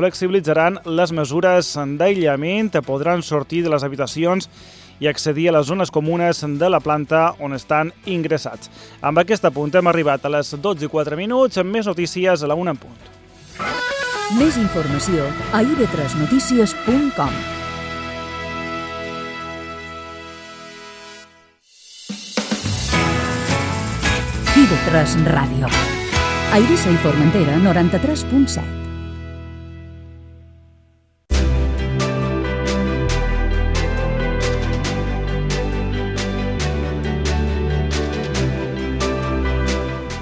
flexibilitzaran les mesures d'aïllament, podran sortir de les habitacions i accedir a les zones comunes de la planta on estan ingressats. Amb aquest apunt hem arribat a les 12:04, amb més notícies a la 1 en punt. Més informació a ib3notícies.com. IB3 Ràdio. A Eivissa i Formentera, 93.7.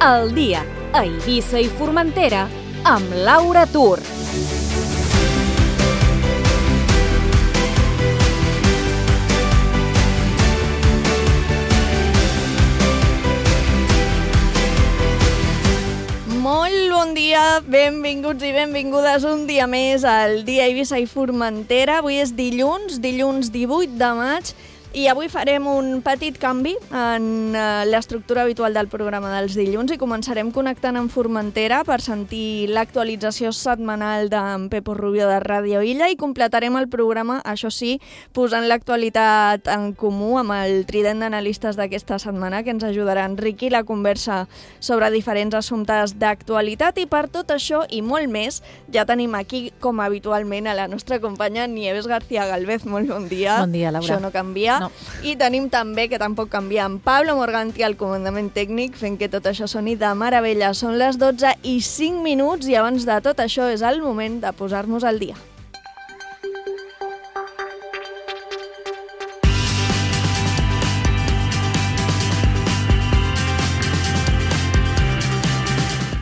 El dia a Eivissa i Formentera amb Laura Tur. Molt bon dia, benvinguts i benvingudes un dia més al dia a Eivissa i Formentera. Avui és dilluns 18 de maig, i avui farem un petit canvi en l'estructura habitual del programa dels dilluns i començarem connectant amb Formentera per sentir l'actualització setmanal d'en Pepo Rubio de Ràdio Illa i completarem el programa, això sí, posant l'actualitat en comú amb el trident d'analistes d'aquesta setmana que ens ajudarà a enriquir la conversa sobre diferents assumptes d'actualitat, i per tot això i molt més ja tenim aquí, com habitualment, a la nostra companya Nieves García Galvez. Molt bon dia. Bon dia, Laura. Això no canvia. No. I tenim també, que tampoc canvia, en Pablo Morganti al comandament tècnic, fent que tot això soni de meravella. Són les 12:05 i abans de tot això és el moment de posar-nos al dia.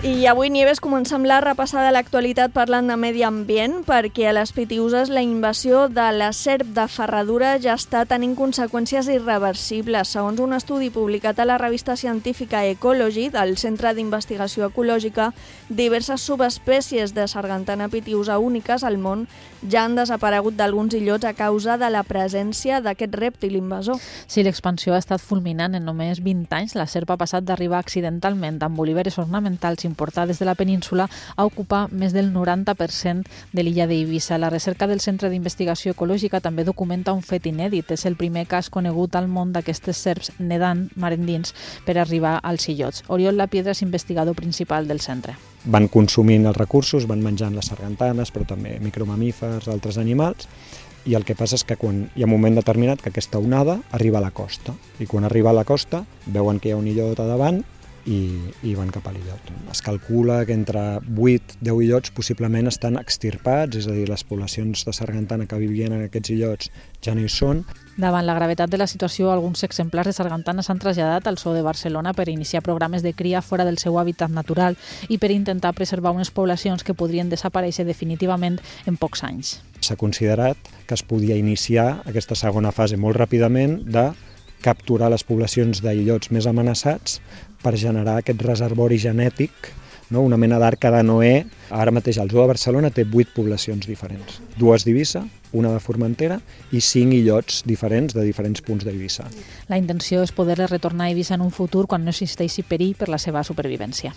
I avui, Nieves, comencem la repassada de l'actualitat parlant de medi ambient, perquè a les Pitiüses la invasió de la serp de ferradura ja està tenint conseqüències irreversibles. Segons un estudi publicat a la revista científica Ecology del Centre d'Investigació Ecològica, diverses subespècies de sargantana pitiüsa úniques al món ja han desaparegut d'alguns illots a causa de la presència d'aquest rèptil invasor. Sí, l'expansió ha estat fulminant. En només 20 anys la serp ha passat d'arribar accidentalment amb oliveres ornamentals importades de la península a ocupar més del 90% de l'illa d'Eivissa. La recerca del Centre d'Investigació Ecològica també documenta un fet inèdit. És el primer cas conegut al món d'aquestes serps nedant mar endins per arribar als illots. Oriol Lapiedra és investigador principal del centre. Van consumint els recursos, van menjant les sargantanes, però també micromamífers, altres animals, i el que passa és que quan hi ha un moment determinat que aquesta onada arriba a la costa, i quan arriba a la costa veuen que hi ha un illot a davant i van cap a l'illot. Es calcula que entre 8 i 10 illots possiblement estan extirpats, és a dir, les poblacions de sargantana que vivien en aquests illots ja no hi són. Davant la gravetat de la situació, alguns exemplars de sargantana s'han traslladat al zoo de Barcelona per iniciar programes de cria fora del seu hàbitat natural i per intentar preservar unes poblacions que podrien desaparèixer definitivament en pocs anys. S'ha considerat que es podia iniciar aquesta segona fase molt ràpidament de capturar les poblacions d'illots més amenaçats per generar aquest reservori genètic, no? Una mena d'arca de Noé. Ara mateix el zoo de Barcelona té 8 poblacions diferents, 2 d'Eivissa, una de Formentera i 5 illots diferents de diferents punts d'Eivissa. La intenció és poder-les retornar a Eivissa en un futur quan no existeixi perill per la seva supervivència.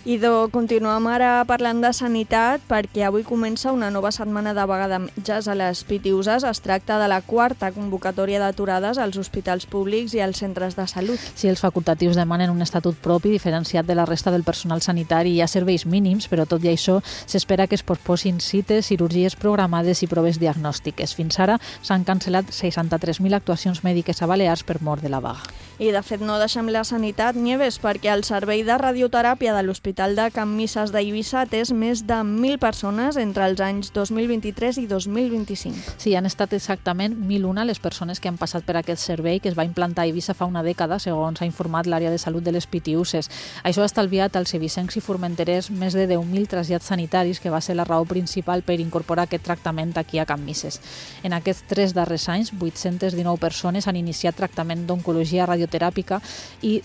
Idò, continuem ara parlant de sanitat perquè avui comença una nova setmana de vaga de metges a les Pitiüses. Es tracta de la 4ª convocatòria d'aturades als hospitals públics i als centres de salut. Sí, els facultatius demanen un estatut propi diferenciat de la resta del personal sanitari. Hi ha serveis mínims, però tot i això s'espera que es posposin cites, cirurgies programades i proves diagnòstiques. Fins ara s'han cancel·lat 63.000 actuacions mèdiques a Balears per mort de la vaga. I de fet no deixem la sanitat, Nieves, perquè el servei de radioteràpia de l'Hospital de Can Misses d'Eivissa ha atès més de 1.000 persones entre els anys 2023 i 2025. Sí, han estat exactament 1.001 les persones que han passat per aquest servei que es va implantar a Eivissa fa una dècada, segons ha informat l'àrea de salut de les Pitiüses. Això ha estalviat als eivissencs i formenterers més de 10.000 trasllats sanitaris, que va ser la raó principal per incorporar aquest tractament aquí a Can Misses. En aquests 3 darrers anys, 819 persones han iniciat tractament d'oncologia radioterapeute radioteràpica i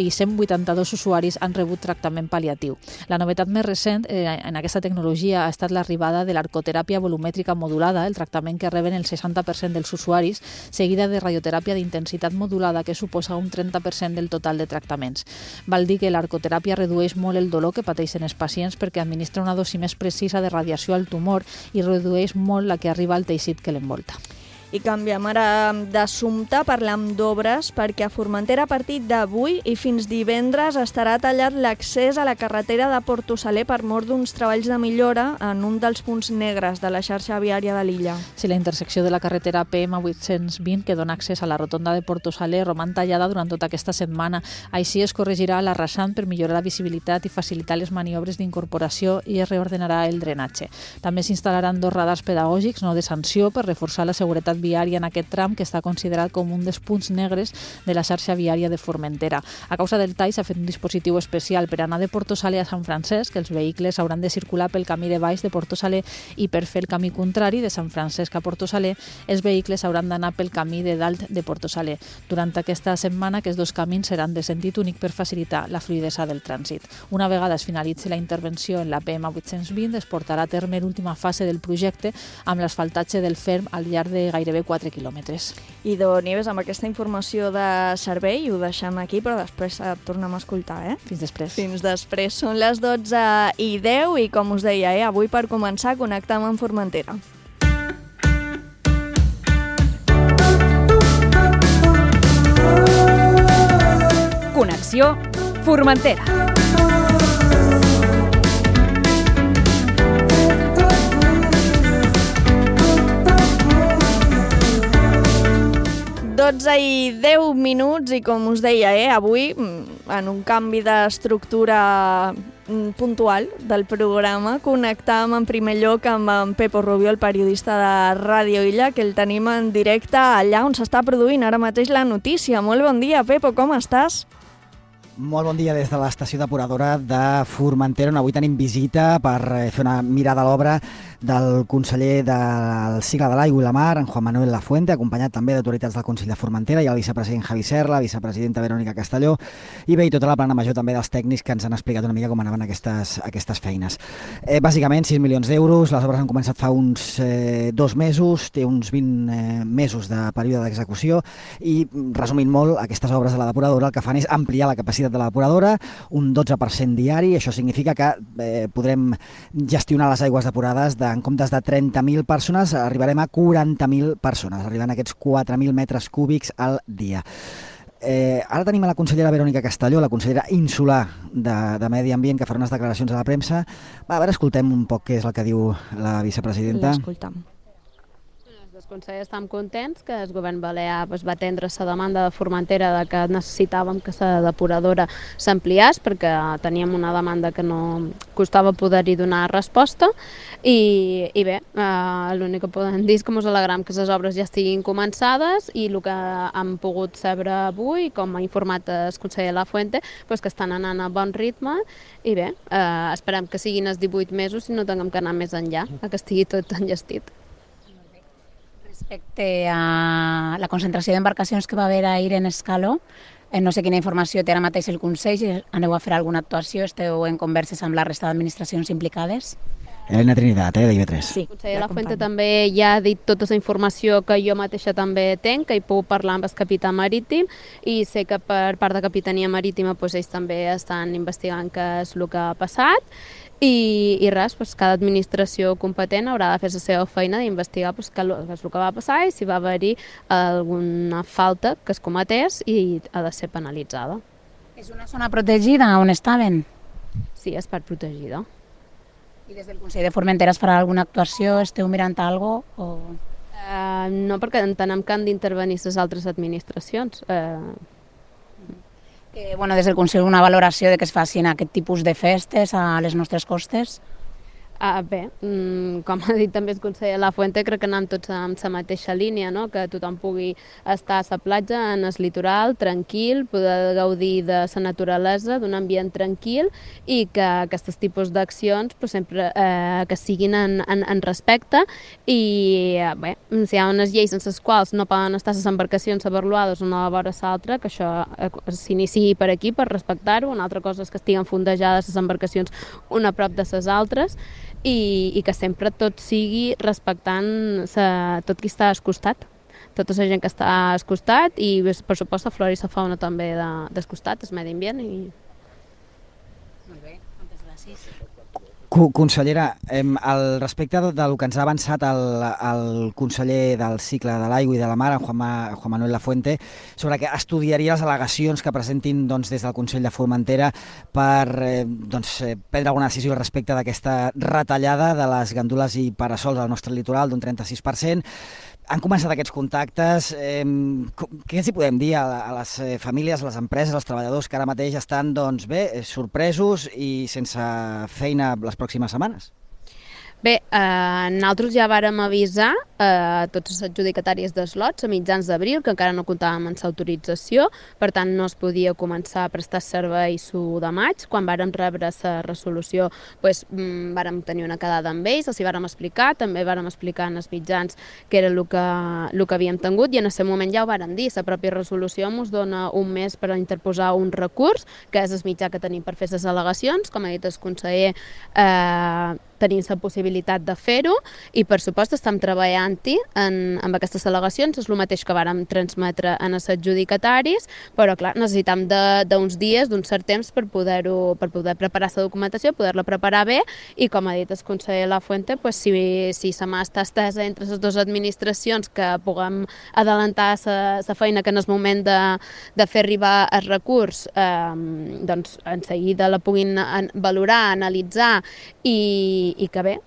182 usuaris han rebut tractament pal·liatiu. La novetat més recent en aquesta tecnologia ha estat l'arribada de l'arcoteràpia volumètrica modulada, el tractament que reben el 60% dels usuaris, seguida de radioteràpia d'intensitat modulada, que suposa un 30% del total de tractaments. Val dir que l'arcoteràpia redueix molt el dolor que pateixen els pacients perquè administra una dosi més precisa de radiació al tumor i redueix molt la que arriba al teixit que l'envolta. I canviem ara d'assumpte, parlem d'obres, perquè a Formentera a partir d'avui i fins divendres estarà tallat l'accés a la carretera de Porto Saler per mor d'uns treballs de millora en un dels punts negres de la xarxa viària de l'illa. Si la intersecció de la carretera PM 820, que dona accés a la rotonda de Porto Saler, roman tallada durant tota aquesta setmana. Així es corregirà la rasant per millorar la visibilitat i facilitar les maniobres d'incorporació i es reordenarà el drenatge. També s'instal·laran 2 radars pedagògics, no de sanció, per reforçar la seguretat viària en aquest tram que està considerat com un dels punts negres de la xarxa viària de Formentera. A causa del tall s'ha fet un dispositiu especial per anar de Porto Saler a Sant Francesc, que els vehicles hauran de circular pel camí de baix de Porto Saler, i per fer el camí contrari de Sant Francesc a Porto Saler, els vehicles hauran d'anar pel camí de dalt de Porto Saler. Durant aquesta setmana, aquests 2 camins seran de sentit únic per facilitar la fluidesa del trànsit. Una vegada es finalitzi la intervenció en la PM 820, es portarà a terme l'última fase del projecte amb l'asfaltatge del ferm al llarg de gairebé 4 quilòmetres. Idò Nieves, amb aquesta informació de servei ho deixem aquí, però després et tornem a escoltar, Fins després. Fins després. Són les 12:10 i, com us deia, avui per començar connectem amb Formentera. Connexió Formentera. I 10 minuts i, com us deia, avui, en un canvi d'estructura puntual del programa, connectam en primer lloc amb en Pepo Rubio, el periodista de Ràdio Illa, que el tenim en directe allà on s'està produint ara mateix la notícia. Molt bon dia, Pepo, com estàs? Molt bon dia des de l'estació depuradora de Formentera, on avui tenim visita per fer una mirada a l'obra del conseller del cicle de l'aigua i la mar, en Juan Manuel Lafuente, acompanyat també d'autoritats del Consell de Formentera i el vicepresident Javi Serra, la vicepresidenta Verònica Castelló, i bé, i tota la plana major també dels tècnics que ens han explicat una mica com anaven aquestes feines. Bàsicament, 6 milions d'euros, les obres han començat fa uns 2 mesos, té uns 20 mesos de període d'execució i, resumint molt, aquestes obres de la depuradora el que fan és ampliar la capacitat de la depuradora un 12% diari. Això significa que podrem gestionar les aigües depurades en comptes de 30.000 persones, arribarem a 40.000 persones, arribant a aquests 4.000 metres cúbics al dia. Ara tenim a la consellera Verònica Castelló, la consellera insular de Medi Ambient, que farà unes declaracions a la premsa. A veure, escoltem un poc què és el que diu la vicepresidenta. L'escoltam. Els consellers estem contents que el govern balear va atendre la demanda de Formentera de que necessitàvem que la depuradora s'ampliés perquè teníem una demanda que no costava poder-hi donar resposta i bé, l'únic que podem dir és que ens alegram que les obres ja estiguin començades i el que hem pogut saber avui, com ha informat el conseller Lafuente, que estan anant a bon ritme i bé, esperem que siguin els 18 mesos i no tinguem que anar més enllà, que estigui tot enllestit. Respecte a la concentració d'embarcacions que va haver ahir en Escaló, no sé quina informació té ara mateix el Consell, aneu a fer alguna actuació, esteu en converses amb la resta d'administracions implicades? Elena Trinitat, d'IV3. Sí, el conseller Lafuente també ja ha dit tota la informació que jo mateixa també tenc, que hi puc parlar amb el capità marítim i sé que per part de Capitania Marítima ells també estan investigant què és el que ha passat i res, cada administració competent haurà de fer la seva feina d'investigar què és el que va passar i si va haver-hi alguna falta que es cometés i ha de ser penalitzada. És una zona protegida on estaven? Sí, és part protegida. I des del Consell de Formentera es farà alguna actuació? Esteu mirant alguna cosa? No, perquè entenem que han d'intervenir les altres administracions. Des del Consell una valoració de que es facin aquest tipus de festes a les nostres costes? Bé, com ha dit també el conseller Lafuente, crec que anem tots en la mateixa línia, no? Que tothom pugui estar a la platja, en el litoral, tranquil, poder gaudir de la naturalesa, d'un ambient tranquil i que aquests tipus d'accions sempre que siguin en respecte i bé, si hi ha unes lleis en les quals no poden estar les embarcacions avaluades una vora l'altra, que això s'iniciï per aquí, per respectar-ho. Una altra cosa és que estiguen fondejades les embarcacions una a prop de les altres i que sempre tot sigui respectant tot qui està al costat, tota la gent que està al costat i, per supost, la flora i la fauna també del costat, el medi ambient. Molt bé, moltes gràcies. Consellera, al respecte del que ens ha avançat el conseller del cicle de l'aigua i de la mar, en Juan Manuel Lafuente, sobre que estudiaria les al·legacions que presentin des del Consell de Formentera per prendre alguna decisió al respecte d'aquesta retallada de les gandules i parasols al nostre litoral d'un 36%. Han començat aquests contactes. Què ens hi podem dir a les famílies, a les empreses, als treballadors que ara mateix estan sorpresos i sense feina les pròximes setmanes? Bé, nosaltres ja vàrem avisar tots els adjudicataris de slots a mitjans d'abril, que encara no comptàvem amb l'autorització, per tant no es podia començar a prestar servei l'1 de maig. Quan vàrem rebre la resolució, vàrem tenir una quedada amb ells, els hi vàrem explicar, també vàrem explicar en els mitjans que era el que havíem tingut i en aquest moment ja ho vàrem dir, la pròpia resolució ens dona un mes per interposar un recurs, que és el mitjà que tenim per fer les al·legacions, com ha dit el conseller, tenim la possibilitat de fer-ho i, per supost, estem treballant-hi amb aquestes al·legacions. És el mateix que vàrem transmetre en els adjudicataris, però, clar, necessitem d'uns dies, d'un cert temps per poder preparar la documentació, poder-la preparar bé i, com ha dit el conseller Lafuente, si la mà està estesa entre les dues administracions, que puguem adelantar la feina que en el moment de fer arribar el recurs, doncs en seguida la puguin valorar, analitzar i que bé,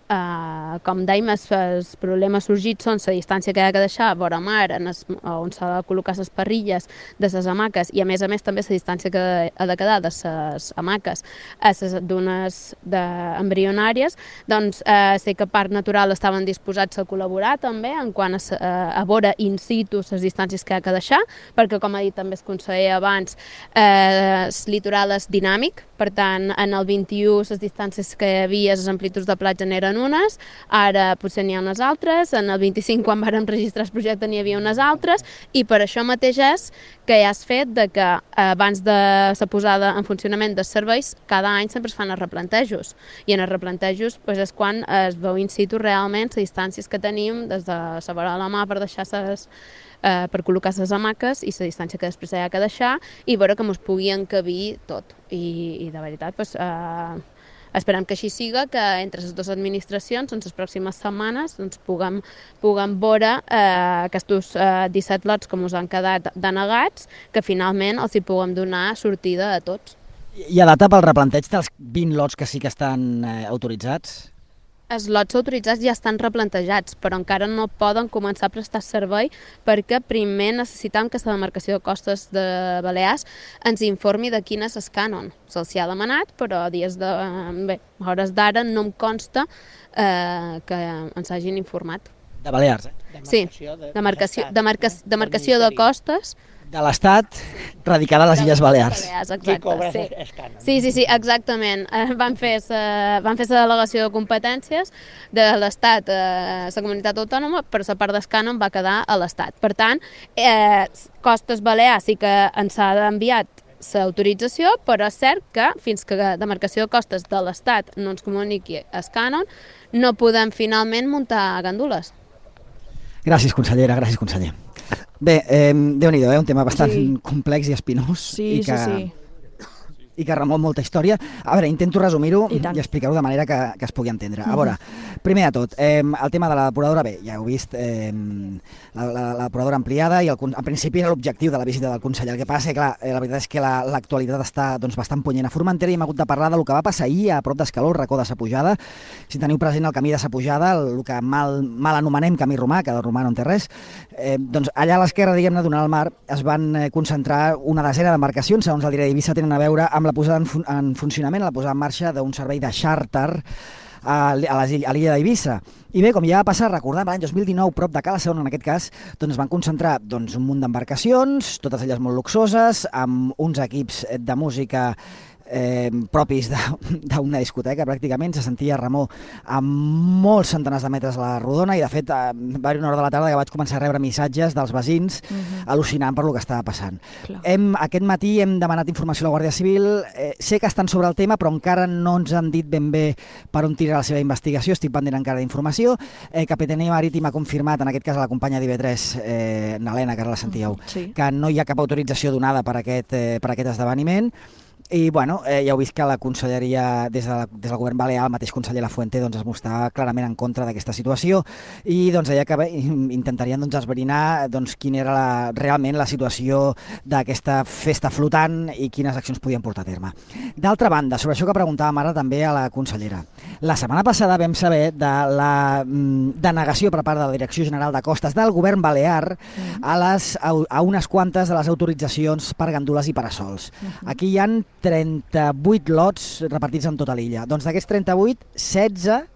com dèiem, els problemes sorgits són la distància que ha de deixar vora mar on s'ha de col·locar les parrilles de les hamaques i a més també la distància que ha de quedar de les hamaques a les dunes embrionàries. Doncs sé que Parc Natural estaven disposats a col·laborar també en quant a veure in situ les distàncies que ha de deixar, perquè com ha dit també el conseller abans, el litoral és dinàmic, per tant en el 21 les distàncies que hi havia, les amplituds de platja n'eren unes, ara potser n'hi ha unes altres, en el 25 quan vàrem registrar el projecte n'hi havia unes altres i per això mateix és que ja has fet que abans de la posada en funcionament dels serveis cada any sempre es fan els replantejos i en els replantejos és quan es veu in situ realment les distàncies que tenim des de la vora de la mà per deixar per col·locar les hamaques i la distància que després hi ha que deixar i veure que ens pugui encabir tot i de veritat esperem que així siga, que entre les dues administracions en les pròximes setmanes puguem veure aquests 17 lots que ens han quedat denegats, que finalment els hi puguem donar sortida a tots. Hi ha data pel replanteig dels 20 lots que sí que estan autoritzats? Els lots autoritzats ja estan replantejats, però encara no poden començar a prestar servei perquè primer necessitem que la demarcació de costes de Balears ens informi de quin és el cànon. Se'ls ha demanat, però a hores d'ara no em consta que ens hagin informat. De Balears, Sí, demarcació de costes de l'Estat radicada a les Illes Balears. Qui cobra els cànons. Sí, exactament. Van fer la delegació de competències de l'Estat a la comunitat autònoma, però la part del cànon va quedar a l'Estat. Per tant, Costes Balears sí que ens ha enviat l'autorització, però és cert que fins que la demarcació de costes de l'Estat no ens comuniqui el cànon, no podem finalment muntar gandules. Gràcies, consellera, gràcies, conseller. Bé, Déu-n'hi-do, un tema bastant complex i espinós i que remou molta història. A veure, intento resumir-ho i explicar-ho de manera que es pugui entendre. A veure, primer de tot, el tema de la depuradora, bé, ja heu vist, la depuradora ampliada i en principi era l'objectiu de la visita del conseller. El que passa és que, clar, la veritat és que l'actualitat està bastant punyent a Formentera i hem hagut de parlar del que va passar ahir a prop d'Escaló, el racó de sa Pujada. Si teniu present el camí de sa Pujada, el que mal anomenem camí romà, que de romà no en té res, doncs allà a l'esquerra, diguem-ne, donant al mar, es van concentrar una desena d'embarcacions, segons el diari d'Eivissa, tenen a veure amb la posada en funcionament, la posada en marxa d'un servei de xàrter a l'illa d'Eivissa. I bé, com ja va passar, recordem, l'any 2019, prop de Cala Son, en aquest cas, doncs van concentrar un munt d'embarcacions, totes elles molt luxoses, amb uns equips de música propis d'una discoteca, pràcticament. Se sentia remor a molts centenars de metres a la rodona i, de fet, va haver una hora de la tarda que vaig començar a rebre missatges dels veïns al·lucinant per lo que estava passant. Aquest matí hem demanat informació a la Guàrdia Civil. Sé que estan sobre el tema, però encara no ens han dit ben bé per on tira la seva investigació. Estic pendent encara d'informació. Capitania Marítima ha confirmat, en aquest cas a la companya d'IV3, Nalena, que ara la sentíeu, que no hi ha cap autorització donada per aquest esdeveniment. I bueno, ja heu vist que la conselleria, des del govern balear, el mateix conseller Lafuente es mostrava clarament en contra d'aquesta situació i deia que intentarien esbrinar quina era realment la situació d'aquesta festa flotant i quines accions podien portar a terme. D'altra banda, sobre això que preguntàvem ara també a la consellera, la setmana passada vam saber de la denegació per part de la Direcció General de Costes del govern balear a unes quantes de les autoritzacions per gandules i parasols. Aquí hi ha 38 lots repartits en tota l'illa. Doncs d'aquests 38, 16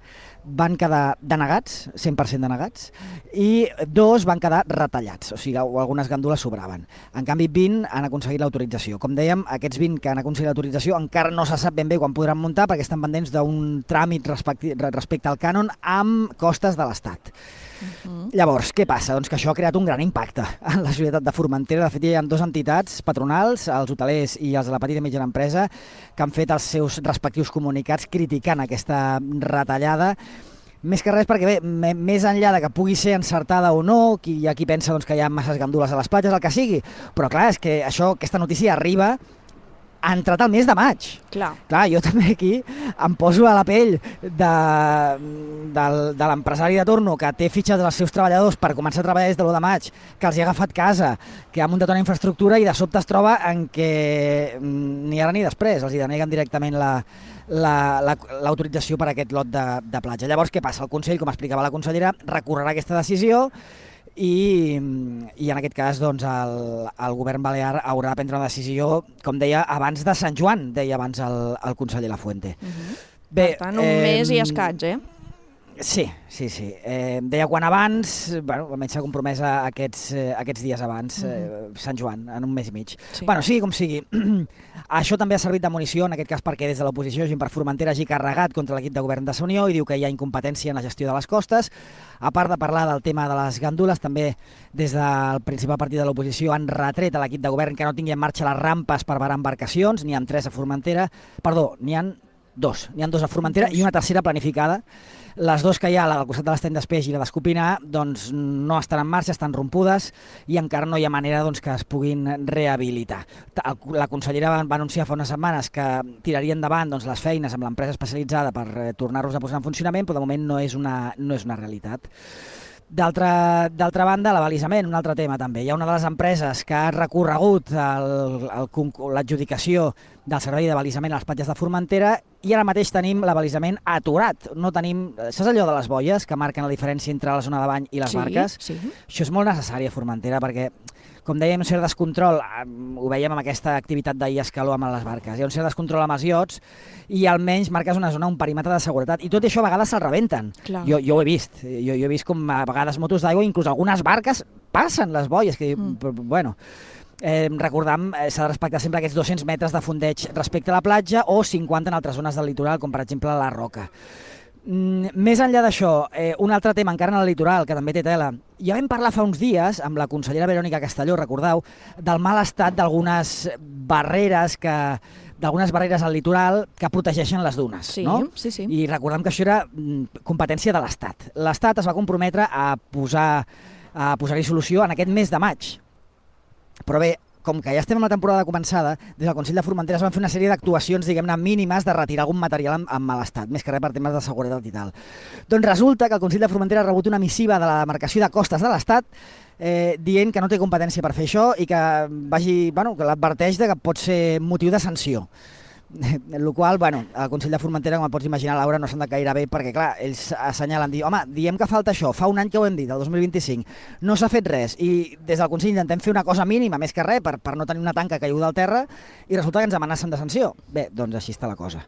van quedar denegats, 100% denegats, i 2 van quedar retallats, o sigui, algunes gandules sobraven. En canvi, 20 han aconseguit l'autorització. Com dèiem, aquests 20 que han aconseguit l'autorització encara no se sap ben bé quan podran muntar perquè estan pendents d'un tràmit respecte al cànon amb costes de l'Estat. Llavors, què passa? Doncs que això ha creat un gran impacte en la societat de Formentera. De fet, hi ha 2 entitats patronals, els hotelers i els de la petita i mitjana empresa, que han fet els seus respectius comunicats criticant aquesta retallada. Més que res perquè, bé, més enllà de que pugui ser encertada o no, hi ha qui pensa que hi ha masses gandules a les platges, el que sigui, però clar, és que aquesta notícia arriba ha entrat al mes de maig. Clar, jo també aquí em poso a la pell de l'empresari de torno que té fitxes dels seus treballadors per començar a treballar des de l'1 de maig, que els hi ha agafat casa, que ha muntat una infraestructura i de sobte es troba en què ni ara ni després els hi deneguen directament l'autorització per aquest lot de platja. Llavors, què passa? El Consell, com explicava la consellera, recorrerà aquesta decisió i en aquest cas el govern balear haurà de prendre una decisió, com deia, abans de Sant Joan, deia abans el conseller Lafuente. Per tant, un mes i escaig, Sí. Deia quan abans, almenys s'ha compromès aquests dies abans, Sant Joan, en un mes i mig. Sigui com sigui, això també ha servit de munició, en aquest cas perquè des de l'oposició Gent per Formentera hagi carregat contra l'equip de govern de la Unió i diu que hi ha incompetència en la gestió de les costes. A part de parlar del tema de les gandules, també des del principal partit de l'oposició han retret a l'equip de govern que no tingui en marxa les rampes per varar embarcacions, n'hi ha 3 a Formentera, n'hi ha 2 a Formentera i una tercera planificada. Les 2 que hi ha, la del costat de l'estany d'Espeix i la d'Escopinar, no estan en marxa, estan rompudes i encara no hi ha manera que es puguin rehabilitar. La consellera va anunciar fa unes setmanes que tiraria endavant les feines amb l'empresa especialitzada per tornar-los a posar en funcionament, però de moment no és una realitat. D'altra banda, l'abalisament, un altre tema també. Hi ha una de les empreses que ha recorregut l'adjudicació del servei d'abalisament a les platges de Formentera i ara mateix tenim l'abalisament aturat. No tenim, saps allò de les boies que marquen la diferència entre la zona de bany i les barques? Sí. Això és molt necessari a Formentera perquè, com dèiem, un cert descontrol, ho veiem amb aquesta activitat d'ahir escaló amb les barques, hi ha un cert descontrol amb els iots i almenys marques una zona, un perímetre de seguretat, i tot això a vegades se'l rebenten. Jo ho he vist, jo he vist com a vegades motos d'aigua, inclús algunes barques passen les boies, que bueno... Recordam, s'ha de respectar sempre aquests 200 metres de fondeig respecte a la platja o 50 en altres zones del litoral, com per exemple la Roca. Més enllà d'això, un altre tema encara en el litoral, que també té tela. Ja vam parlar fa uns dies amb la consellera Verònica Castelló, recordeu, del mal estat d'algunes barreres al litoral que protegeixen les dunes. No? Sí. I recordem que això era competència de l'Estat. L'Estat es va comprometre a posar-hi solució en aquest mes de maig. Però bé, com que ja estem amb la temporada començada, des del Consell de Formentera es van fer una sèrie d'actuacions, diguem-ne, mínimes de retirar algun material en mal estat, més que res per temes de seguretat i tal. Doncs resulta que el Consell de Formentera ha rebut una missiva de la demarcació de costes de l'Estat dient que no té competència per fer això i que que l'adverteix que pot ser motiu de sanció. El qual, el Consell de Formentera, com et pots imaginar, Laura, no s'han de caire bé perquè, clar, ells assenyalen, home, diem que falta això, fa un any que ho hem dit, el 2025, no s'ha fet res, i des del Consell intentem fer una cosa mínima, més que res, per no tenir una tanca caiguda al terra, i resulta que ens amenacen de sanció. Bé, doncs així està la cosa.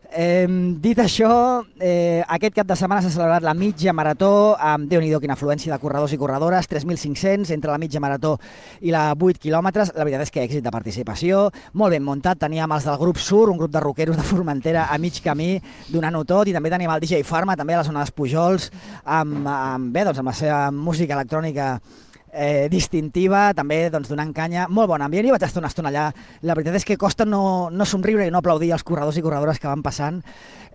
Dit això, aquest cap de setmana s'ha celebrat la mitja marató, amb Déu-n'hi-do quina afluència de corredors i corredores, 3.500 entre la mitja marató i la 8 quilòmetres. La veritat és que èxit de participació, molt ben muntat. Teníem els del grup Sur, un grup de rockeros de Formentera a mig camí, donant-ho tot, i també teníem el DJ Farma, també a la zona dels Pujols, amb la seva música electrònica distintiva, també donant canya, molt bon ambient. Jo vaig estar una estona allà, la veritat és que costa no somriure i no aplaudir els corredors i corredores que van passant,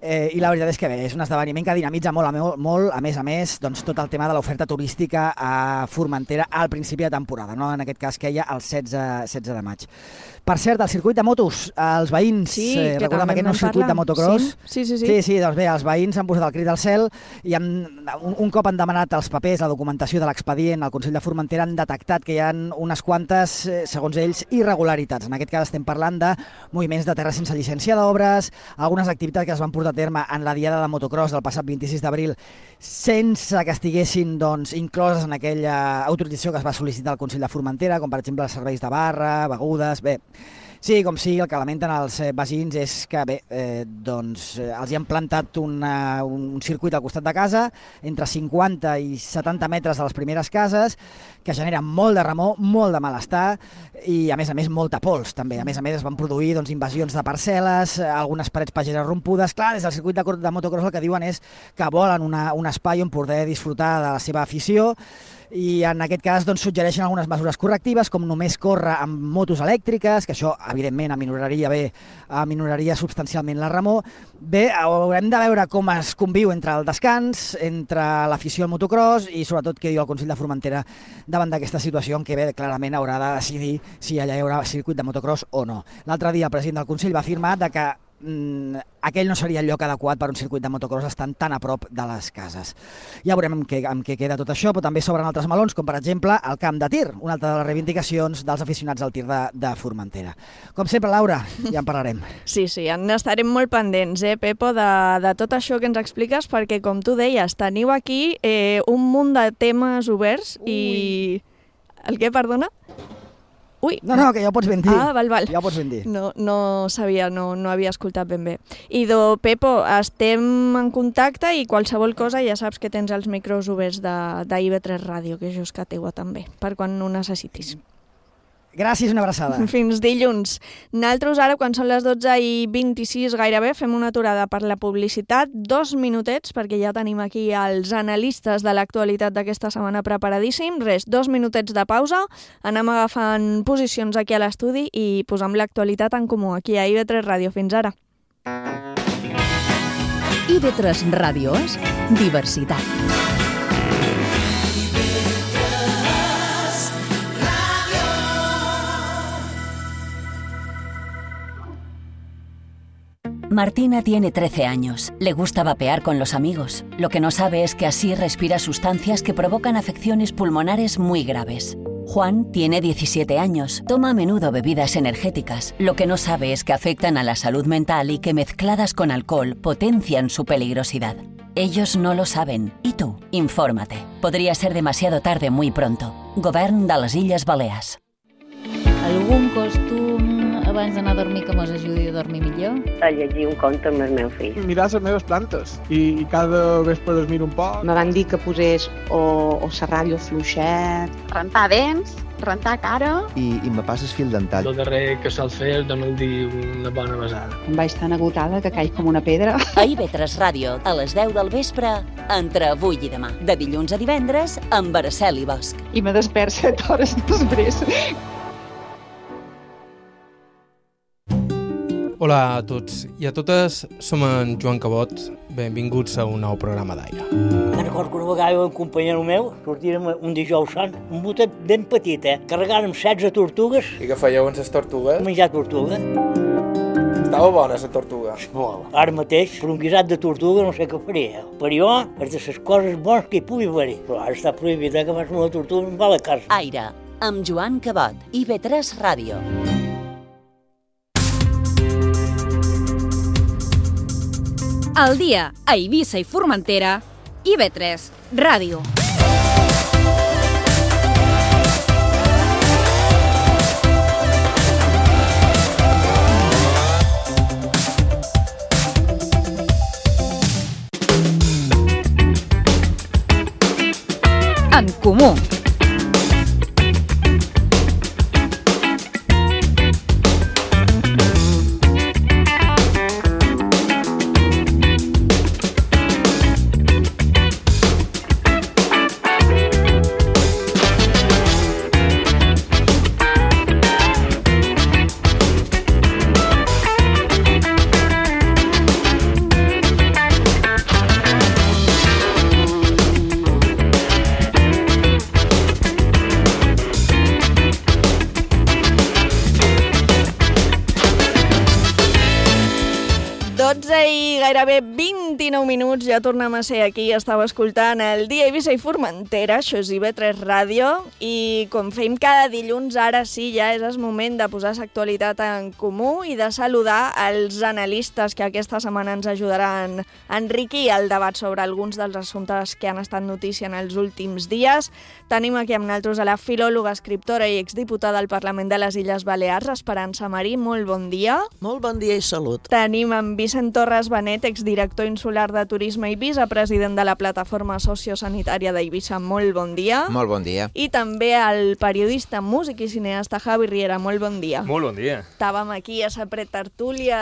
i la veritat és que bé, és un esdeveniment que dinamitza molt, a més, tot el tema de l'oferta turística a Formentera al principi de temporada, no? En aquest cas que hi ha el 16 de maig. Per cert, el circuit de motos, els veïns, recordem aquest nou circuit de motocross. Sí, doncs bé, els veïns han posat el crit al cel i un cop han demanat els papers, la documentació de l'expedient al Consell de Formentera, han detectat que hi ha unes quantes, segons ells, irregularitats. En aquest cas estem parlant de moviments de terra sense llicència d'obres, algunes activitats que es van portar a terme en la diada de motocross del passat 26 d'abril sense que estiguessin incloses en aquella autorització que es va sol·licitar al Consell de Formentera, com per exemple els serveis de barra, begudes, bé. Sí, com sigui, el que lamenten els veïns és que els hi han plantat un circuit al costat de casa, entre 50 i 70 metres de les primeres cases, que genera molt de remor, molt de malestar i, a més, molta pols, també. A més, es van produir invasions de parcel·les, algunes parets pageres rompudes. Clar, des del circuit de motocross el que diuen és que volen un espai on poder disfrutar de la seva afició, i en aquest cas suggereixen algunes mesures correctives, com només córrer amb motos elèctriques, que això evidentment aminoraria substancialment la remor. Bé, haurem de veure com es conviu entre el descans, entre l'afició al motocross i sobretot què diu el Consell de Formentera davant d'aquesta situació en què clarament haurà de decidir si allà hi haurà circuit de motocross o no. L'altre dia el president del Consell va afirmar que aquell no seria el lloc adequat per un circuit de motocross estant tan a prop de les cases. Ja veurem amb què queda tot això, però també s'obren altres melons, com per exemple el camp de tir, una altra de les reivindicacions dels aficionats al tir de Formentera. Com sempre, Laura, ja en parlarem. Sí, n'estarem molt pendents, Pepo, de tot això que ens expliques, perquè, com tu deies, teniu aquí un munt de temes oberts i... El què, perdona? Ui. No, que ja ho pots ben dir. Val. Ja ho pots ben dir. No sabia, no havia escoltat ben bé. Pepo, estem en contacte i qualsevol cosa ja saps que tens els micros oberts d'IV3 Ràdio, que això és que teua també, per quan ho necessitis. Gràcies, una abraçada. Fins dilluns. Nosaltres ara, quan són les 12:26 gairebé, fem una aturada per la publicitat, 2 minutets, perquè ja tenim aquí els analistes de l'actualitat d'aquesta setmana preparadíssim. 2 minutets de pausa, anem agafant posicions aquí a l'estudi i posam l'actualitat en comú, aquí a IB3 Ràdio. Fins ara. IB3 Ràdio és diversitat. Martina tiene 13 años. Le gusta vapear con los amigos. Lo que no sabe es que así respira sustancias que provocan afecciones pulmonares muy graves. Juan tiene 17 años. Toma a menudo bebidas energéticas. Lo que no sabe es que afectan a la salud mental y que mezcladas con alcohol potencian su peligrosidad. Ellos no lo saben. ¿Y tú? Infórmate. Podría ser demasiado tarde muy pronto. Govern de les Illes Balears. Algun costum abans d'anar a dormir que mos ajudi a dormir millor? A llegir un conte amb el meu fill. Mirar les meves plantes i cada vespre es miro un poc. Me van dir que posés o serrallo fluixet, rentar dents, rentar cara... I me passes fil dental. El darrer que sol fer és donar-li una bona besada. Em vaig tan agotada que caic com una pedra. A IB3 Ràdio, a les 10 del vespre, entre avui i demà. De dilluns a divendres, amb Araceli Bosch. I me despert 7 hores després. Hola a tots i a totes, som en Joan Cabot, benvinguts a un nou programa d'Aire. Me'n recordo que una vegada un companyero meu sortirem un dijous sant, un botet ben petit, carregant amb 16 tortugues. I què fèieu amb les tortugues? Menjar tortuga. Estava bona la tortuga? Molt. Ara mateix, per un guisat de tortuga no sé què faria. Per jo, és de les coses bones que hi pugui haver. Però ara està prohibit que fas una tortuga amb la casa. Aire, amb Joan Cabot, IB3 Ràdio. Al dia a Eivissa i Formentera, IB3 Ràdio. En Comú. Gairebé 29 minuts, ja tornem a ser aquí, estàu escoltant el Dia Eivissa i Formentera, això és IB3 Ràdio, i com fem cada dilluns, ara sí, ja és el moment de posar l'actualitat en comú i de saludar els analistes que aquesta setmana ens ajudaran a enriquir el debat sobre alguns dels assumptes que han estat notícia en els últims dies. Tenim aquí amb nosaltres a la filòloga, escriptora i exdiputada al Parlament de les Illes Balears, Esperança Marí, molt bon dia. Molt bon dia i salut. Tenim en Vicent Torres Benet, exdirector insular de Turisme i vicepresident de la Plataforma Sociosanitària d'Eivissa. Molt bon dia. Molt bon dia. I també el periodista, músic i cineasta Javi Riera. Molt bon dia. Molt bon dia. Estàvem aquí a la pretertúlia...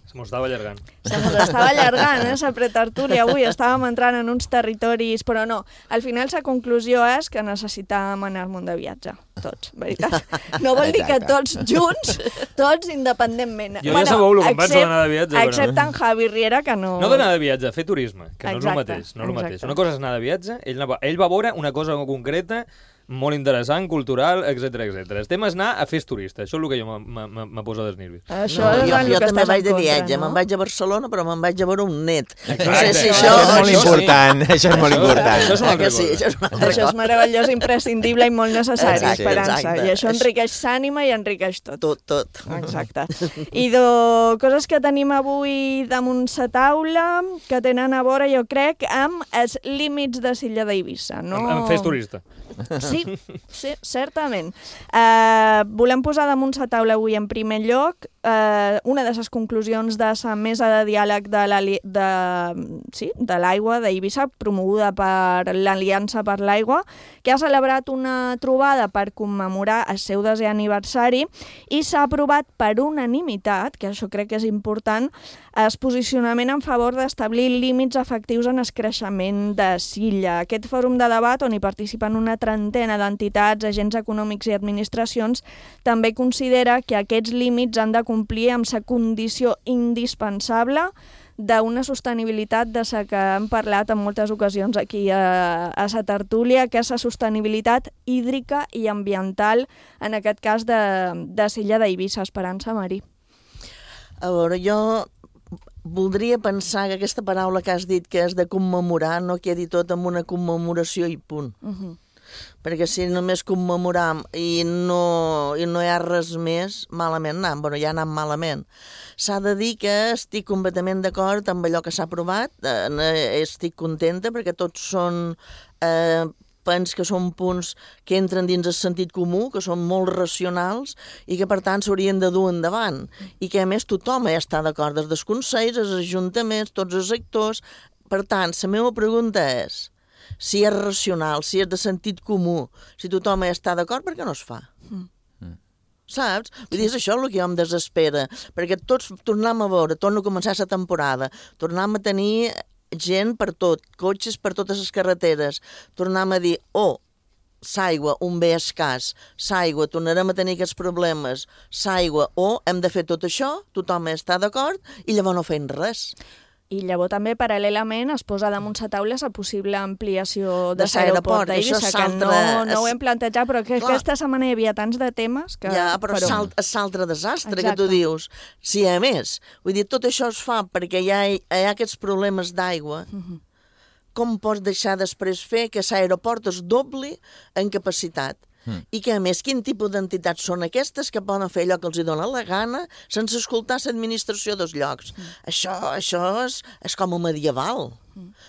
Se mos estava allargant. Se mos estava allargant, la pretertúlia avui. Estàvem entrant en uns territoris, però no. Al final la conclusió és que necessitàvem anar-me'n de viatge. Tots, veritat. No vol dir que tots junts, tots independentment. Jo ja sabeu el que em vaig d'anar de viatge. Excepte en Javi Riera, que no... No d'anar de viatge, fer turisme, que no és el mateix. No és el mateix. Una cosa és anar de viatge, ell va veure una cosa concreta, molt interessant, cultural, etc etc. El tema és anar a fer turista. Això és el que jo me posa dels nervis. Jo també vaig de viatge. Me'n vaig a Barcelona, però me'n vaig a veure un net. Això és molt important. Això és molt important. Això és una altra cosa. Això és meravellós, imprescindible i molt necessari, Esperança. I això enriqueix l'ànima i enriqueix tot. Tot. Exacte. I coses que tenim avui damunt la taula, que tenen a veure, jo crec, amb els límits de l'illa d'Eivissa. En fer turista. Sí, certament. Volem posar damunt la taula avui en primer lloc una de les conclusions de la mesa de diàleg de l'aigua d'Eivissa, promoguda per l'Aliança per l'Aigua, que ha celebrat una trobada per commemorar el seu 10è aniversari i s'ha aprovat per unanimitat, que això crec que és important, el posicionament en favor d'establir límits efectius en el creixement de l'illa. Aquest fòrum de debat, on hi participen una trentena d'entitats, agents econòmics i administracions, també considera que aquests límits han de complir amb la condició indispensable d'una sostenibilitat de la que hem parlat en moltes ocasions aquí a la tertúlia, que és la sostenibilitat hídrica i ambiental, en aquest cas de l'illa d'Eivissa. Esperança Marí. A veure, jo voldria pensar que aquesta paraula que has dit, que és de commemorar, no quedi tot amb una commemoració i punt. Perquè si només commemoram i no hi ha res més, malament anem. Bueno, ja anem malament. S'ha de dir que estic completament d'acord amb allò que s'ha aprovat, estic contenta perquè tots són... penso que són punts que entren dins el sentit comú, que són molt racionals i que, per tant, s'haurien de dur endavant. I que, a més, tothom ja està d'acord, des dels consells, els ajuntaments, tots els sectors. Per tant, la meva pregunta és, si és racional, si és de sentit comú, si tothom ja està d'acord, per què no es fa? Saps? Vull dir, és això el que jo em desespera, perquè tots tornem a veure, torno a començar la temporada, tornem a tenir gent per tot, cotxes per totes les carreteres, tornem a dir, s'aigua, un bé escàs, s'aigua, tornarem a tenir aquests problemes, s'aigua, hem de fer tot això, tothom està d'acord, i llavors no fem res. I llavors també, paral·lelament, es posa damunt la taula la possible ampliació de l'aeroport d'Eivissa, que no ho hem plantejat, però que aquesta setmana hi havia tants de temes que... Ja, però és l'altre desastre que tu dius. Si a més, vull dir, tot això es fa perquè hi ha aquests problemes d'aigua, com pots deixar després fer que l'aeroport es dobli en capacitat? I que, a més, quin tipus d'entitats són aquestes que poden fer allò que els dona la gana sense escoltar l'administració dels llocs? Això és com a medieval.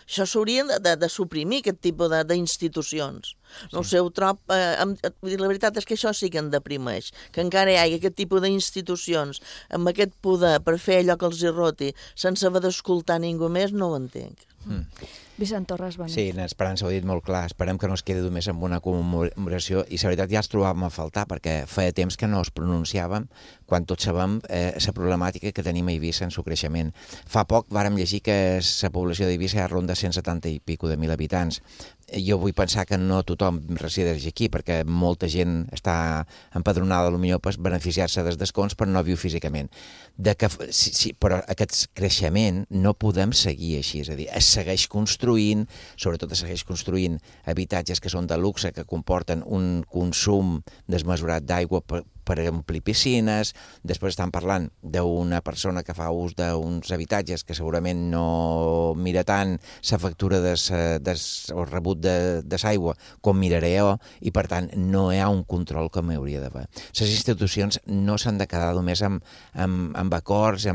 Això s'hauria de suprimir, aquest tipus d'institucions. No ho sé, ho trob... La veritat és que això sí que em deprimeix, que encara hi hagi aquest tipus d'institucions amb aquest poder per fer allò que els hi roti sense haver d'escoltar ningú més, no ho entenc. Vicent Torres, bona nit. Sí, l'Esperança ho ha dit molt clar. Esperem que no es quedi només amb una commemoració i la veritat ja es trobàvem a faltar perquè feia temps que no es pronunciàvem quan tots sabem la problemàtica que tenim a Eivissa en el creixement. Fa poc vàrem llegir que la població d'Eivissa ja ronda 170 i pico de 1.000 habitants. Jo vull pensar que no tothom resideix aquí perquè molta gent està empadronada potser per beneficiar-se dels descomptes però no viu físicament. Però aquest creixement no podem seguir així, és a dir, es segueix construint, sobretot es segueix construint habitatges que són de luxe, que comporten un consum desmesurat d'aigua per omplir piscines. Després estan parlant d'una persona que fa ús d'uns habitatges que segurament no mira tant la factura o rebut de l'aigua com miraré jo, i per tant no hi ha un control com hi hauria d'haver. Les institucions no s'han de quedar només amb acords,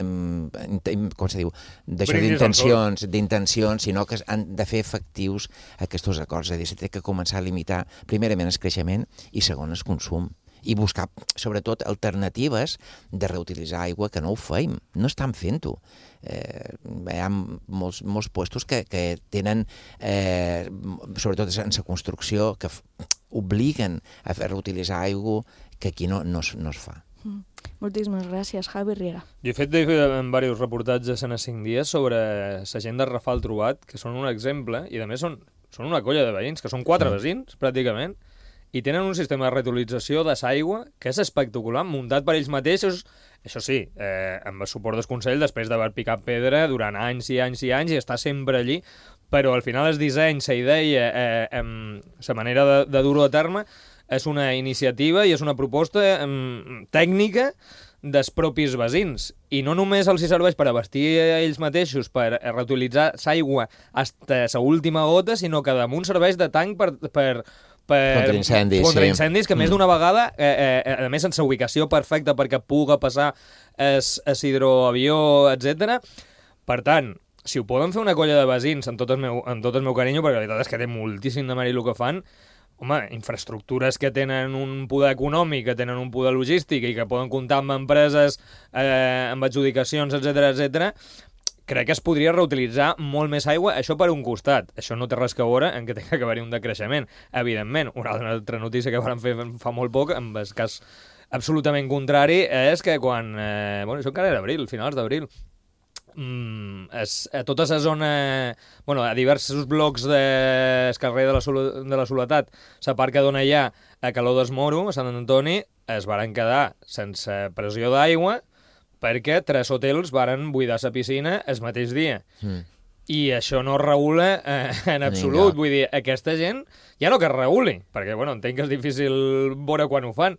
com se diu, d'intencions, sinó que han de fer efectius aquests acords. És a dir, s'ha de començar a limitar primerament el creixement i segon el consum i buscar sobretot alternatives de reutilitzar aigua que no ho feim, no estan fent-ho. Hi ha molts puestos que tenen, sobretot en la construcció, que obliguen a reutilitzar aigua que aquí no es fa. Moltíssimes gràcies, Javi Riera. Jo he fet diversos reportatges en 5 dies sobre la gent de Rafal Trobat, que són un exemple, i a més són una colla de veïns, que són 4 veïns, pràcticament, i tenen un sistema de reutilització de l'aigua que és espectacular, muntat per ells mateixos, això sí, amb el suport del Consell, després d'haver picat pedra durant anys i anys i anys, i estar sempre allí, però al final el disseny, la idea, la manera de dur-ho a terme, és una iniciativa i és una proposta tècnica dels propis veïns. I no només els serveix per abastir ells mateixos, per reutilitzar l'aigua fins a l'última gota, sinó que damunt serveix de tanc per contra incendis, que més d'una vegada, a més en la ubicació perfecta perquè puga passar el hidroavió, etc. Per tant, si ho poden fer una colla de veïns, amb tot el meu carinyo, perquè la veritat és que té moltíssim de mèrit el que fan, home, infraestructures que tenen un poder econòmic, que tenen un poder logístic i que poden comptar amb empreses, amb adjudicacions, etc., crec que es podria reutilitzar molt més aigua, això per un costat. Això no té res a veure en que tingui que haver-hi un decreixement. Evidentment, una altra notícia que vam fer fa molt poc, en el cas absolutament contrari, és que quan... això encara era abril, finals d'abril, a tota la zona, a diversos blocs del carrer de la Soledat, la part que dona ja a Calor del Moro, a Sant Antoni, es varen quedar sense pressió d'aigua perquè 3 hotels varen buidar la piscina el mateix dia. I això no es regula en absolut. Vull dir, aquesta gent ja no que es reguli, perquè entenc que és difícil veure quan ho fan,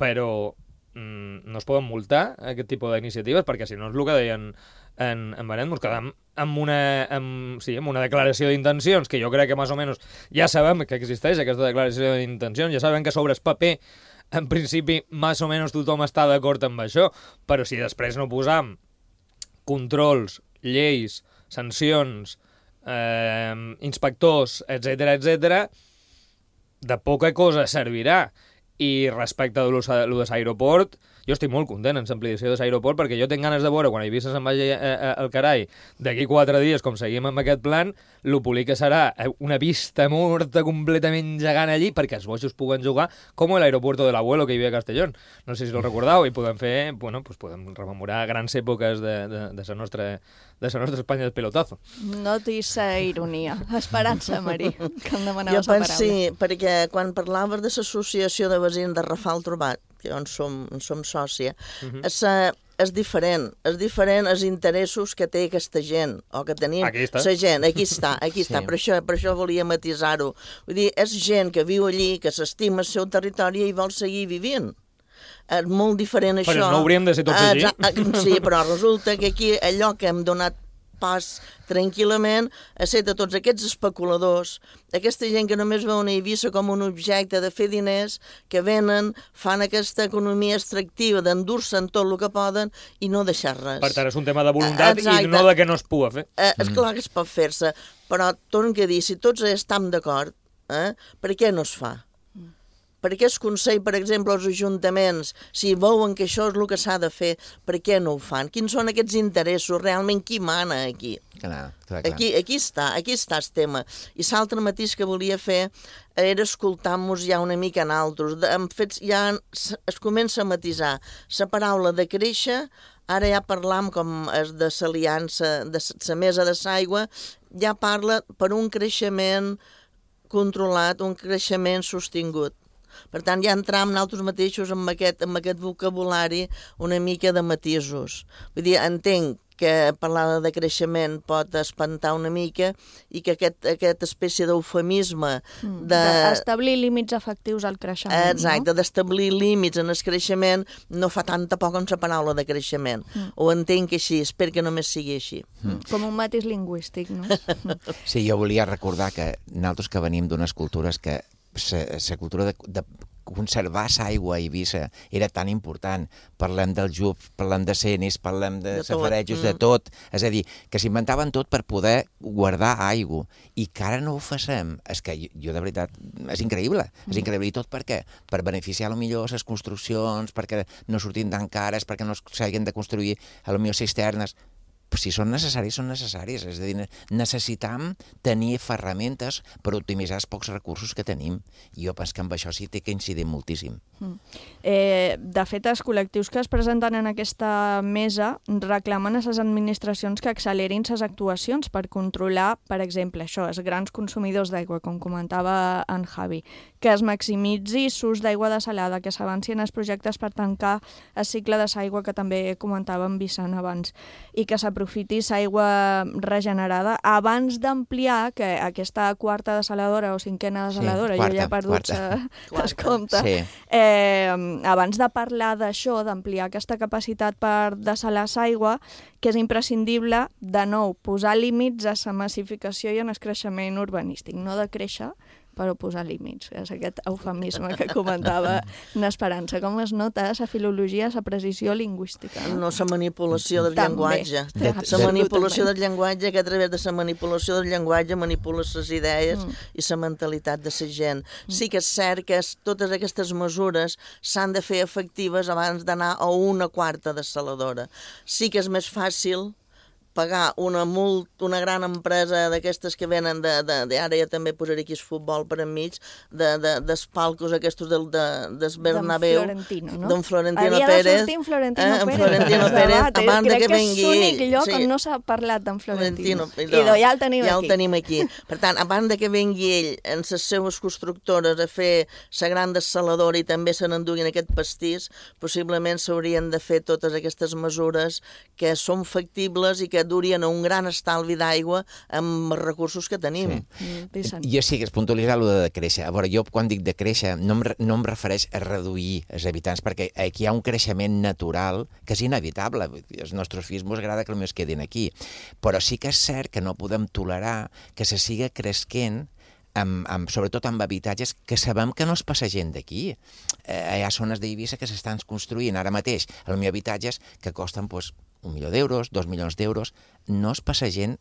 però no es poden multar aquest tipus d'iniciatives, perquè si no és el que deien en Benet, ens quedem amb una declaració d'intencions, que jo crec que més o menys ja sabem que existeix aquesta declaració d'intencions, ja sabem que sobre el paper en principi més o menys tothom està d'acord amb això, però si després no posam controls, lleis, sancions, inspectors, etc., de poca cosa servirà. I respecte a lo de l'aeroport, jo estic molt content en l'ampliació de l'aeroport perquè jo tinc ganes de veure, quan Eivissa se'n vagi al carai, d'aquí 4 dies, com seguim amb aquest plan, lo polic que serà una vista morta completament gegant allí perquè els bojos puguen jugar com l'aeropuerto de l'Abuelo que hi havia a Castellón. No sé si el recordeu, i podem fer, podem rememorar grans èpoques de la nostra Espanya del pelotazo. Notis ironia. Esperança, Marí, que em demanaves la paraula. Sí, perquè quan parlaves de l'associació de veïns de Rafal Trobat, que on som sòcia, és diferent els interessos que té aquesta gent, o que tenim la gent, aquí està, per això volia matisar-ho. Vull dir, és gent que viu allí, que s'estima el seu territori i vol seguir vivint. És molt diferent això. Però no hauríem de ser tots allí. Sí, però resulta que aquí allò que hem donat pas tranquil·lament a ser de tots aquests especuladors, aquesta gent que només veu una Eivissa com un objecte de fer diners, que venen, fan aquesta economia extractiva d'endur-se'n tot el que poden i no deixar res. Per tant, és un tema de voluntat i no de que no es pugui fer. És clar que es pot fer-se, però torno a dir, si tots estem d'acord, per què no es fa? Per què el Consell, per exemple, els ajuntaments, si veuen que això és el que s'ha de fer, per què no ho fan? Quins són aquests interessos? Realment qui mana aquí? Clar. Aquí està el tema. I l'altre mateix que volia fer era escoltar-nos ja una mica en altres. Ja es comença a matisar la paraula de créixer, ara ja parlam com és de l'aliança de la mesa de l'aigua, ja parla per un creixement controlat, un creixement sostingut. Per tant, ja entram nosaltres mateixos amb aquest vocabulari una mica de matisos. Vull dir, entenc que parlar de creixement pot espantar una mica i que aquesta espècie d'eufemisme d'establir límits efectius al creixement. Exacte, d'establir límits en el creixement no fa tanta poc amb la paraula de creixement. Ho entenc així, espero que només sigui així. Com un matís lingüístic, no? Sí, jo volia recordar que nosaltres que venim d'unes cultures que la cultura de conservar l'aigua a Eivissa era tan important. Parlem del JUP, parlem de cenis, parlem de safarejos, de tot. És a dir, que s'inventaven tot per poder guardar aigua. I que ara no ho facem. És que jo, de veritat, és increïble. És increïble. I tot per què? Per beneficiar millor les construccions, perquè no surtin tan cares, perquè no s'hagin de construir potser cisternes. Si són necessaris, són necessaris. És a dir, necessitam tenir ferramentes per optimitzar els pocs recursos que tenim. I jo penso que amb això sí té que incidir moltíssim. De fet, els col·lectius que es presenten en aquesta mesa reclamen a les administracions que accelerin les actuacions per controlar, per exemple, això, els grans consumidors d'aigua, com comentava en Javi, que es maximitzi l'ús d'aigua desalada, que s'avancin els projectes per tancar el cicle de l'aigua, que també comentava en Vicent abans, i que s'aprofiti l'aigua regenerada abans d'ampliar que aquesta quarta desaladora o cinquena desaladora, jo ja he perdut el compte, abans de parlar d'això, d'ampliar aquesta capacitat per dessalar l'aigua, que és imprescindible, de nou, posar límits a la massificació i en el creixement urbanístic, no de créixer, però posar límits. És aquest eufemisme que comentava n'Esperança. Com es nota la filologia, la precisió lingüística? No, la manipulació del llenguatge. La manipulació del llenguatge, que a través de la manipulació del llenguatge manipula les idees i la mentalitat de la gent. Sí que és cert que totes aquestes mesures s'han de fer efectives abans d'anar a una quarta desaladora. Sí que és més fàcil pagar una gran empresa d'aquestes que venen ara ja també posaré aquí el futbol per enmig, dels palcos aquests del Bernabéu, d'en Florentino Pérez. Havia de sortir en Florentino Pérez. Abans que vengui ell. Crec que és l'únic lloc on no s'ha parlat d'en Florentino. I ja el tenim aquí. Per tant, abans que vengui ell en les seves constructores a fer la gran desaladora i també se n'enduguin aquest pastís, possiblement s'haurien de fer totes aquestes mesures que són factibles i que durien un gran estalvi d'aigua amb els recursos que tenim. Jo sí que es puntualitzar allò de créixer. A veure, jo quan dic de créixer no em refereix a reduir els habitants, perquè aquí hi ha un creixement natural que és inevitable. Els nostres fills ens agrada que es quedin aquí. Però sí que és cert que no podem tolerar que se siga cresquent sobretot amb habitatges que sabem que no es passa gent d'aquí. Hi ha zones d'Eivissa que s'estan construint ara mateix, potser habitatges que costen 1 milió d'euros, 2 milions d'euros, no es passa gent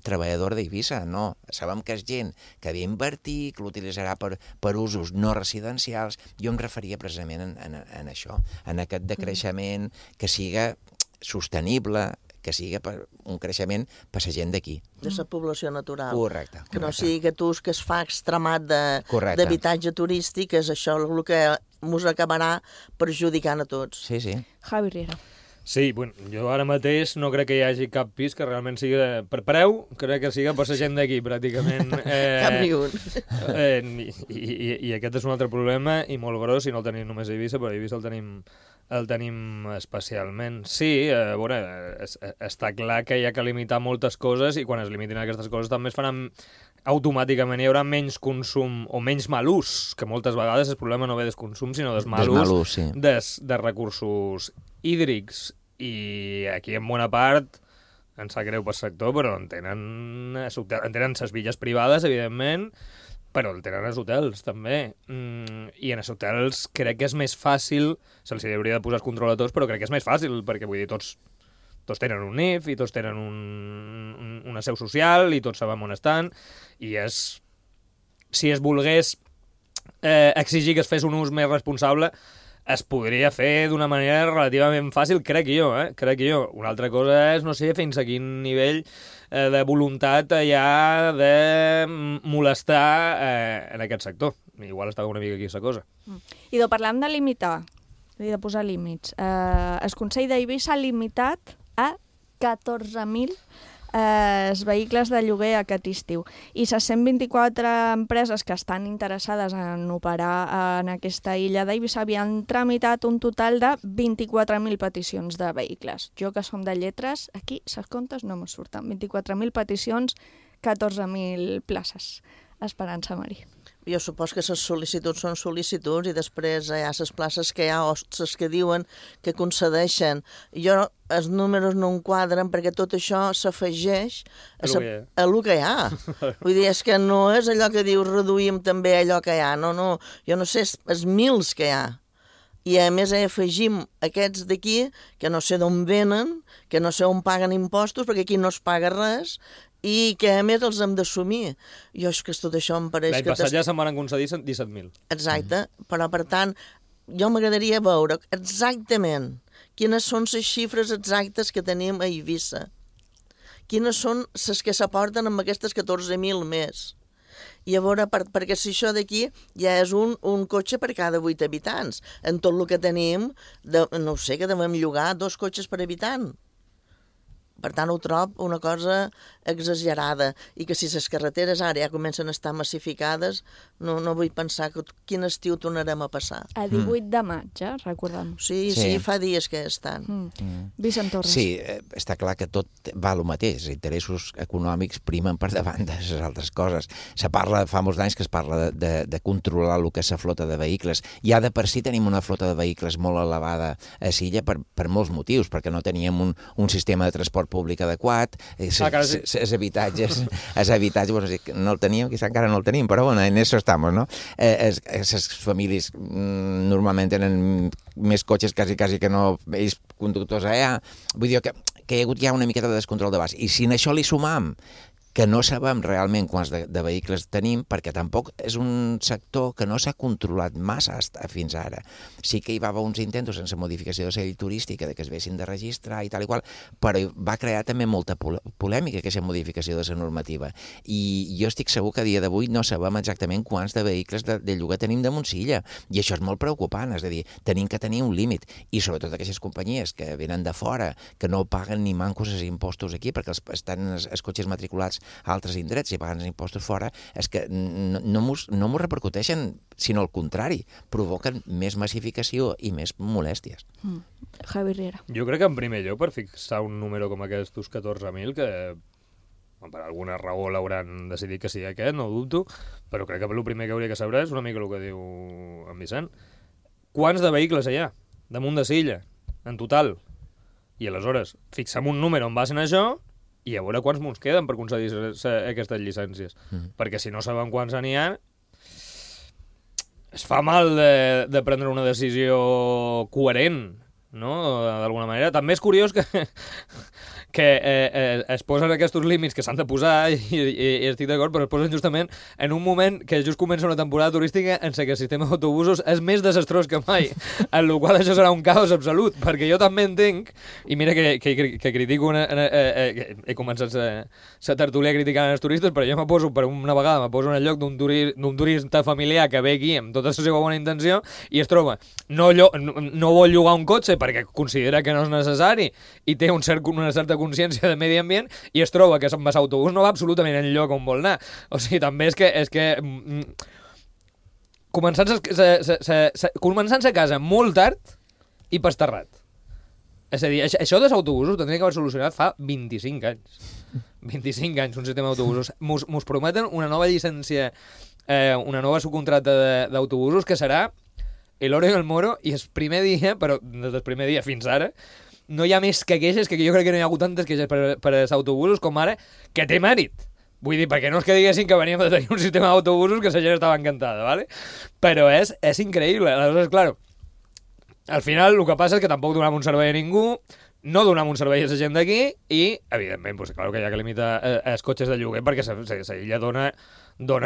treballadora d'Eivissa, no. Sabem que és gent que havia d'invertir, que l'utilitzarà per usos no residencials. Jo em referia precisament en això, en aquest decreixement que siga sostenible, que sigui per un creixement per la gent d'aquí. De la població natural. Correcte. Que no sigui que es fa extremat d'habitatge turístic, és això el que ens acabarà perjudicant a tots. Sí, sí. Javi Riera. Sí, bueno, jo ara mateix no crec que hi hagi cap pis que realment sigui per preu, crec que siga per la gent d'aquí, pràcticament. Cap ni un. I aquest és un altre problema, i molt gros, i no el tenim només a Eivissa, però a Eivissa el tenim especialment. Sí, bueno, està clar que hi ha que limitar moltes coses, i quan es limitin aquestes coses també es faran automàticament, hi haurà menys consum o menys mal ús, que moltes vegades el problema no ve del consum, sinó del mal ús de recursos hídrics. I aquí en bona part em sap greu pel sector, però en tenen les villes privades, evidentment, però el tenen els hotels, també. I en els hotels crec que és més fàcil, se'ls hauria de posar el control a tots, però crec que és més fàcil, perquè vull dir, tots tenen un NIF, i tots tenen una seu social, i tots sabem on estan, i si es volgués exigir que es fes un ús més responsable es podria fer d'una manera relativament fàcil, crec jo. Una altra cosa és, no sé, fins a quin nivell de voluntat hi ha de molestar en aquest sector. Igual estava una mica aquí aquesta cosa. I parlant de limitar, de posar límits, el Consell d'Eivissa ha limitat a 14.000 vehicles de lloguer aquest estiu. I les 124 empreses que estan interessades en operar en aquesta illa d'Eivissa havien tramitat un total de 24.000 peticions de vehicles. Jo, que som de lletres, aquí les comptes no me surten. 24.000 peticions, 14.000 places. Esperança, Mari. Jo supos que les sol·licituds són sol·licituds i després hi ha les places que hi ha hostes que diuen que concedeixen. Els números no enquadren perquè tot això s'afegeix a el que hi ha. Vull dir, és que no és allò que dius reduïm també allò que hi ha. No, jo no sé, els mils que hi ha. I a més afegim aquests d'aquí que no sé d'on venen, que no sé on paguen impostos, perquè aquí no es paga res, i que a més els hem d'assumir. Jo és que tot això em pareix... L'any passat ja se'n van concedir 17.000. Exacte, però per tant, jo m'agradaria veure exactament quines són les xifres exactes que tenim a Eivissa. Quines són les que s'aporten amb aquestes 14.000 més. I a veure, perquè si això d'aquí ja és un cotxe per cada 8 habitants. En tot el que tenim, no sé, que devem llogar 2 cotxes per habitant. Per tant, ho trobo una cosa exagerada i que si les carreteres ara ja comencen a estar massificades, no vull pensar quin estiu tornarem a passar. A 18 de maig, recordem. Sí, fa dies que estan. Vicent Torres. Sí, està clar que tot va el mateix. Els interessos econòmics primen per davant de les altres coses. Fa molts anys que es parla de controlar el que és la flota de vehicles. Ja de per si tenim una flota de vehicles molt elevada a Silla per molts motius, perquè no teníem un sistema de transport públic adequat, els habitatges no el teníem, quizá encara no el tenim, però bueno, en eso estamos, ¿no? Les famílies normalment tenen més cotxes quasi que no ells conductors allà. Vull dir que hi ha hagut ja una miqueta de descontrol d'abast. I si en això li sumam que no sabem realment quants de vehicles tenim, perquè tampoc és un sector que no s'ha controlat massa fins ara. Sí que hi va haver uns intents sense modificació de la llei turística, que es vessin de registrar i tal i qual, però va crear també molta polèmica aquesta modificació de la normativa. I jo estic segur que a dia d'avui no sabem exactament quants de vehicles de lloguer tenim de Montsilla, i això és molt preocupant, és a dir, tenim que tenir un límit, i sobretot aquestes companyies que venen de fora, que no paguen ni mancos els impostos aquí, perquè estan els cotxes matriculats a altres indrets i paguen els impostos fora, és que no m'ho repercuteixen, sinó al contrari, provoquen més massificació i més molèsties. Javi Riera. Jo crec que en primer lloc, per fixar un número com aquests 14.000, que per alguna raó l'hauran decidit que sigui aquest, no ho dubto, però crec que el primer que hauria que saber és una mica el que diu en Vicent. Quants de vehicles hi ha damunt de Silla, en total? I aleshores, fixem un número en base a això i a veure quants mons queden per concedir aquestes llicències. Perquè si no sabem quants n'hi ha, es fa mal de prendre una decisió coherent, no? D'alguna manera. També és curiós que es posen aquests límits que s'han de posar i estic d'acord, però es posen justament en un moment que just comença una temporada turística en què el sistema d'autobusos és més desastrós que mai, en el qual això serà un caos absolut, perquè jo també entenc, i mira que critico, he començat la tertúlia criticant els turistes, però jo me poso en el lloc d'un turista familiar que ve aquí amb tota la seva bona intenció i es troba, no vol llogar un cotxe perquè considera que no és necessari i té una certa consciència de medi ambient i es troba que amb l'autobús no va absolutament enlloc on vol anar. O sigui, també és que començant a casa molt tard i pasterrat. És a dir, això dels autobusos ho tindria que haver solucionat fa 25 anys. 25 anys, un sistema d'autobusos. Mos prometen una nova llicència, una nova subcontracta d'autobusos que serà l'hora i el moro, i el primer dia, però des del primer dia fins ara, no hi ha més que queixes, que jo crec que no hi ha hagut tantes queixes per als autobusos com ara, que té mèrit. Vull dir, perquè no és que diguessin que veníem de tenir un sistema d'autobusos que la gent estava encantada, ¿vale? Però és increïble. Aleshores, claro, al final el que passa és que tampoc donem un servei a ningú, no donem un servei a la gent d'aquí i, evidentment, pues, claro que hi ha que limitar els cotxes de lloguer perquè l'illa dona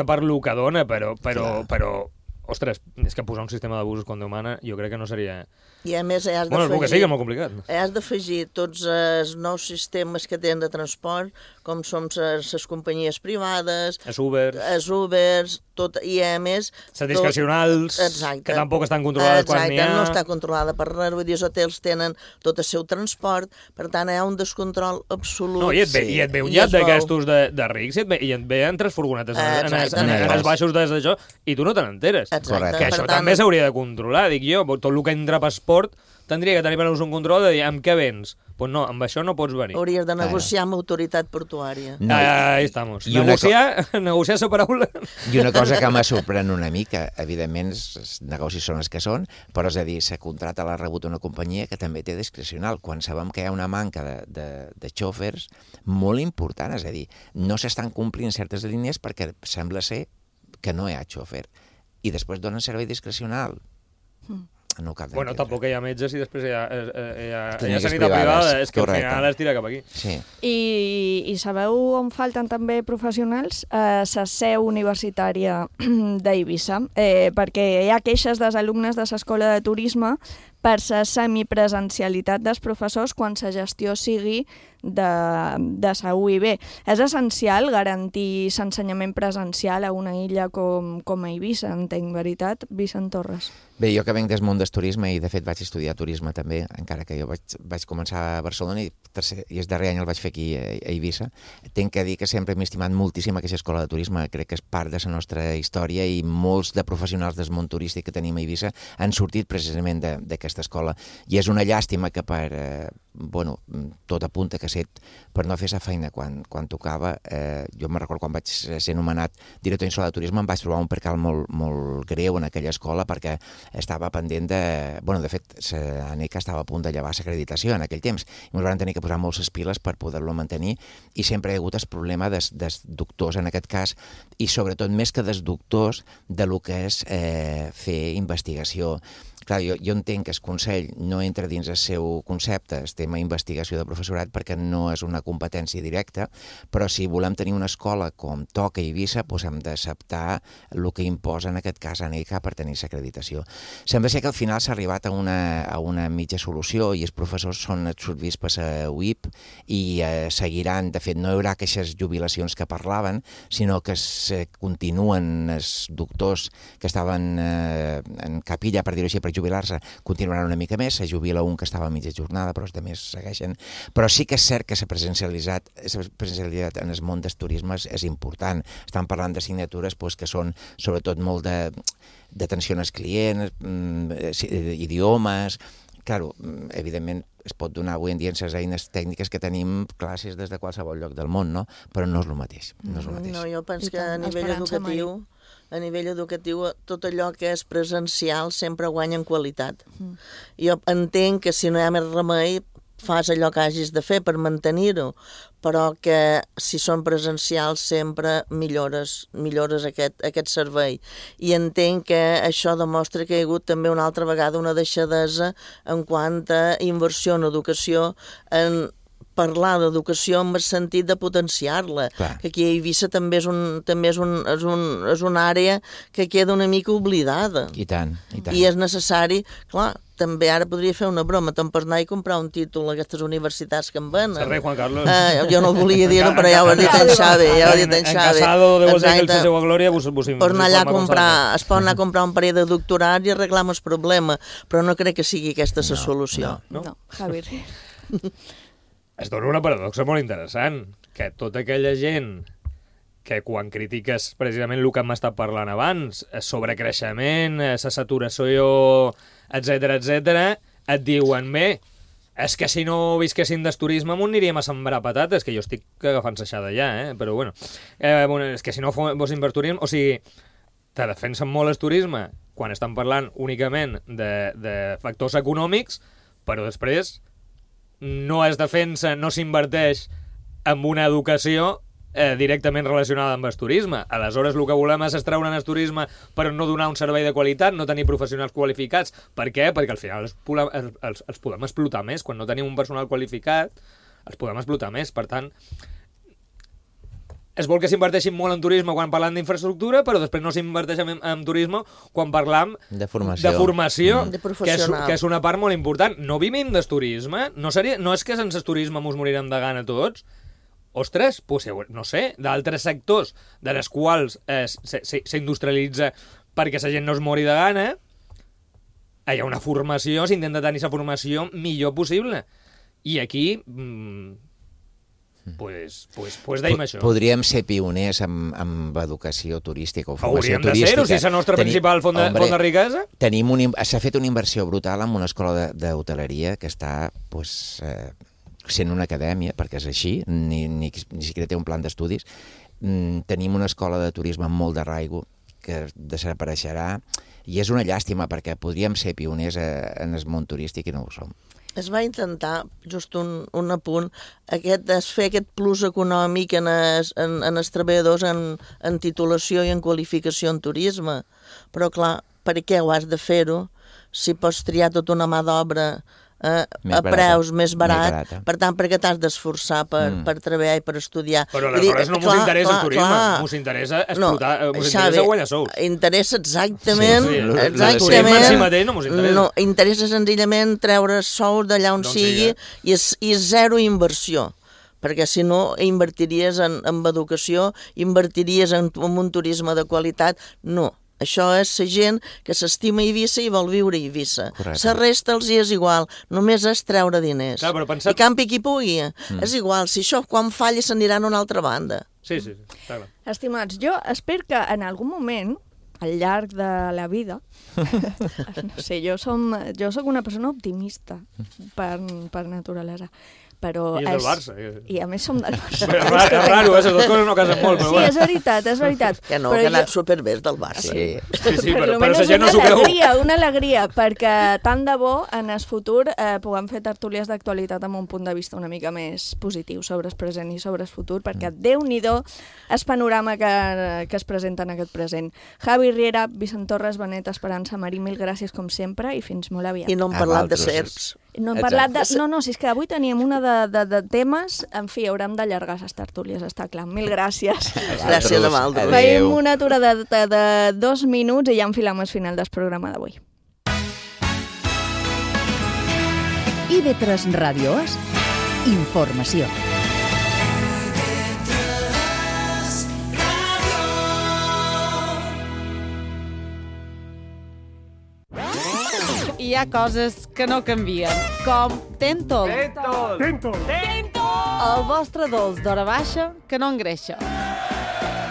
per lo que dona, però ostres, és que posar un sistema d'abusos quan Déu mana, jo crec que no seria... I a més has Bueno, el que sigui és molt complicat. Has d'afegir tots els nous sistemes que tenen de transport, com són les companyies privades, els Ubers, tot, i a més... Les discrecionals, que tampoc estan controlades quan n'hi ha... no està controlada per res, vull dir, els hotels tenen tot el seu transport, per tant, hi ha un descontrol absolut. No, i et ve un llat d'aquestos de rics, i et ve en 3 furgonetes en els baixos d'això, i tu no te n'enteres. Que això també s'hauria de controlar, dic jo, tot el que entra per esport tindria que tenir per un control de dir amb què vens. Doncs no, amb això no pots venir. Hauries de negociar amb autoritat portuària. Ahí estamos. Negociar la paraula. I una cosa que me sorprèn una mica, evidentment, els negocis són els que són, però és a dir, se contrata l'ha rebut una companyia que també té discrecional, quan sabem que hi ha una manca de xòfers molt important, és a dir, no s'estan complint certes línies perquè sembla ser que no hi ha xòfer. I després donen servei discrecional. No cal bueno, tampoc hi ha metges i després hi ha sanitat privada, és que al final es tira cap aquí. Sí. I sabeu on falten també professionals? La seu universitària d'Eivissa, perquè hi ha queixes dels alumnes de l'escola de turisme per la semipresencialitat dels professors quan la gestió sigui de la UIB. És essencial garantir l'ensenyament presencial a una illa com Eivissa, entenc, veritat, Vicent Torres? Bé, jo que venc del món del turisme i de fet vaig estudiar turisme també, encara que jo vaig començar a Barcelona i el darrer any el vaig fer aquí a Eivissa, tinc que dir que sempre m'he estimat moltíssim aquesta escola de turisme, crec que és part de la nostra història i molts de professionals del món turístic que tenim a Eivissa han sortit precisament d'aquesta escola i és una llàstima que tot apunta que per no fer la feina quan tocava, jo me'n recordo quan vaig ser nomenat director insular de turisme em vaig trobar un percal molt greu en aquella escola perquè estava pendent de fet, l'ANECA estava a punt de llevar l'acreditació en aquell temps i ens van tenir que posar moltes piles per poder-lo mantenir i sempre hi ha hagut el problema dels doctors en aquest cas i sobretot més que dels doctors de lo que és fer investigació. Clar, jo entenc que el Consell no entra dins el seu concepte, el tema investigació de professorat, perquè no és una competència directa, però si volem tenir una escola com toca a Eivissa, doncs hem d'acceptar el que imposa en aquest cas ANECA per tenir l'acreditació. Sembla ser que al final s'ha arribat a una mitja solució i els professors són absorbits per la UIP i seguiran, de fet no hi haurà aquestes jubilacions que parlaven, sinó que continuen els doctors que estaven en capilla, per dir-ho així, per jubilar-se, continuaran una mica més, se jubila un que estava a mitja jornada, però els altres segueixen. Però sí que és cert que la presencialitat en el món del turisme és important. Estan parlant de signatures que són sobretot molt d'atenció als clients, idiomes... Claro, evidentment es pot donar avui en dia en les eines tècniques que tenim classes des de qualsevol lloc del món, no? Però no és el mateix. No, jo penso que a nivell educatiu tot allò que és presencial sempre guanya en qualitat. Jo entenc que si no hi ha més remei fas allò que hagis de fer per mantenir-ho, però que si són presencials sempre millores aquest servei. I entenc que això demostra que hi ha hagut també una altra vegada una deixadesa en quant a inversió en educació, en parlar d'educació en el sentit de potenciar-la, que aquí a Eivissa també és una àrea que queda una mica oblidada. I tant. I és necessari, clar, també ara podria fer una broma, te'n pots anar i comprar un títol a aquestes universitats que en venen. Serrei, Juan Carlos. Jo no volia dir-ho, però ja ho ha dit en Xavi. En Casado, de vos que el seu glòria, vos anar allà a comprar, es pot anar a comprar un parell de doctorats i arreglar el problema, però no crec que sigui aquesta la solució. No, Javier. Es dona una paradoxa molt interessant, que tota aquella gent que quan critiques precisament el que hem estat parlant abans, sobrecreixement, la saturació, etc., et diuen, bé, és que si no visquessin del turisme m'ho aniríem a sembrar patates, que jo estic agafant saixada ja, però bueno, és que si no fossin per turisme, o sigui, te defensen molt el turisme quan estan parlant únicament de factors econòmics, però després no es defensa, no s'inverteix en una educació directament relacionada amb el turisme. Aleshores, el que volem és extreure'n el turisme per no donar un servei de qualitat, no tenir professionals qualificats. Per què? Perquè al final els podem explotar més. Quan no tenim un personal qualificat, els podem explotar més. Per tant, es vol que s'inverteixin molt en turisme quan parlant d'infraestructura, però després no s'inverteixen en turisme quan parlam de formació, que és una part molt important. No vivim del turisme, no és que sense turisme mos morirem de gana tots. Ostres, pues, no sé, d'altres sectors de les quals s'industrialitza perquè la gent no es mori de gana, hi ha una formació, s'intenta tenir la formació millor possible. I aquí, pues deim això. Podríem ser pioners amb educació turística o formació turística. Hauríem de ser-ho, si és la nostra principal font de riquesa. S'ha fet una inversió brutal en una escola d'hoteleria que està, sent una acadèmia, perquè és així, ni siquiera té un plan d'estudis. Tenim una escola de turisme amb molt d'arraigo que desapareixerà, i és una llàstima perquè podríem ser pioners en el món turístic i no ho som. Es va intentar, just un apunt, fer aquest plus econòmic en els treballadors en titulació i en qualificació en turisme. Però, clar, per què ho has de fer-ho si pots triar tota una mà d'obra a preus més barat? Per tant, per què t'has d'esforçar per treballar i per estudiar? Però aleshores no mos interessa el turisme, mos interessa explotar, mos interessa guanyar sous. Interessa exactament... No, interessa senzillament treure sous d'allà on sigui i zero inversió. Perquè si no invertiries en educació, invertiries en un turisme de qualitat, no. Això és la gent que s'estima Eivissa i vol viure a Eivissa. La resta els hi és igual, només és treure diners. I campi qui pugui. És igual, si això quan falli s'aniran a una altra banda. Sí, està clar. Estimats, jo espero que en algun moment, al llarg de la vida, no sé, jo soc una persona optimista per naturalesa. I és del Barça. I a més som del Barça. És raro, les dues coses no casen molt. Sí, és veritat. Que no, que ha anat superbé del Barça. Sí, però la gent no s'ho creu. Una alegria, perquè tant de bo en el futur puguem fer tertúlies d'actualitat amb un punt de vista una mica més positiu sobre el present i sobre el futur, perquè Déu-n'hi-do el panorama que es presenta en aquest present. Javi Riera, Vicent Torres, Benet, Esperança, Marí, mil gràcies com sempre i fins molt aviat. I no hem parlat de serps. No hem parlat de... No, si és que avui teníem una de temes, en fi, haurem d'allargar les tertúlies, està clar. Mil gràcies. Gràcies a vosaltres. Veiem una aturada de 2 minuts i ja enfilam el final del programa d'avui. IB3 Ràdios, informació. Hi ha coses que no canvien, com Tentol. El vostre dolç d'hora baixa que no engreixa.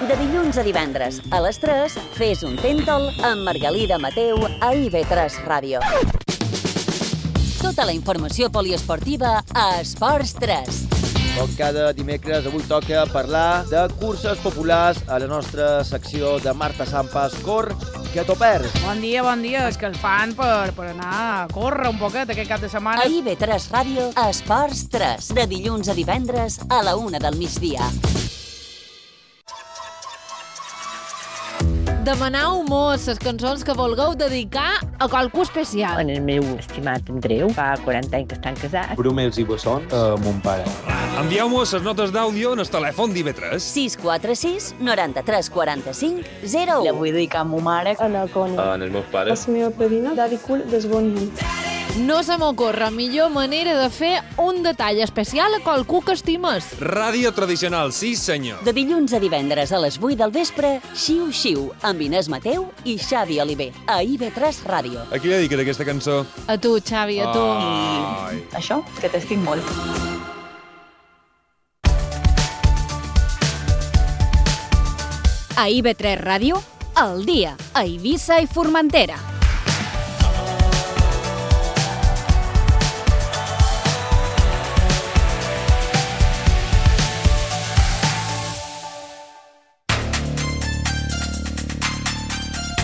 De dilluns a divendres, a les 3, fes un Tentol amb Margalida Mateu a IB3 Ràdio. Tota la informació poliesportiva a Esports 3. Com cada dimecres, avui toca parlar de curses populars a la nostra secció de Marta Sampas Cor, que t'ho perds. Bon dia, és que el fan per anar a córrer un poquet aquest cap de setmana. A IB3 Ràdio, Esports 3, de dilluns a divendres a la 1 del migdia. Demanau mos les cançons que vulgueu dedicar a qualcú especial. En el meu estimat Andreu, fa 40 anys que estan casats. Brumels i bessons a mon pare. Envieu-mos les notes d'àudio en el telèfon d'IB3. 646 93 45 01. La vull dedicar a ma mare. En el Coni. En els meus pares. A la meva padrina, Daddy Cool, des bon dia. No se m'ocorre millor manera de fer un detall especial a qualcú que estimes. Ràdio tradicional, sí senyor. De dilluns a divendres a les 8 del vespre, Xiu Xiu, amb Inés Mateu i Xavi Oliver, a IB3 Ràdio. A qui dediques aquesta cançó? A tu, Xavi, a tu. I això, que t'estic molt. A IB3 Ràdio, al dia, a Eivissa i Formentera.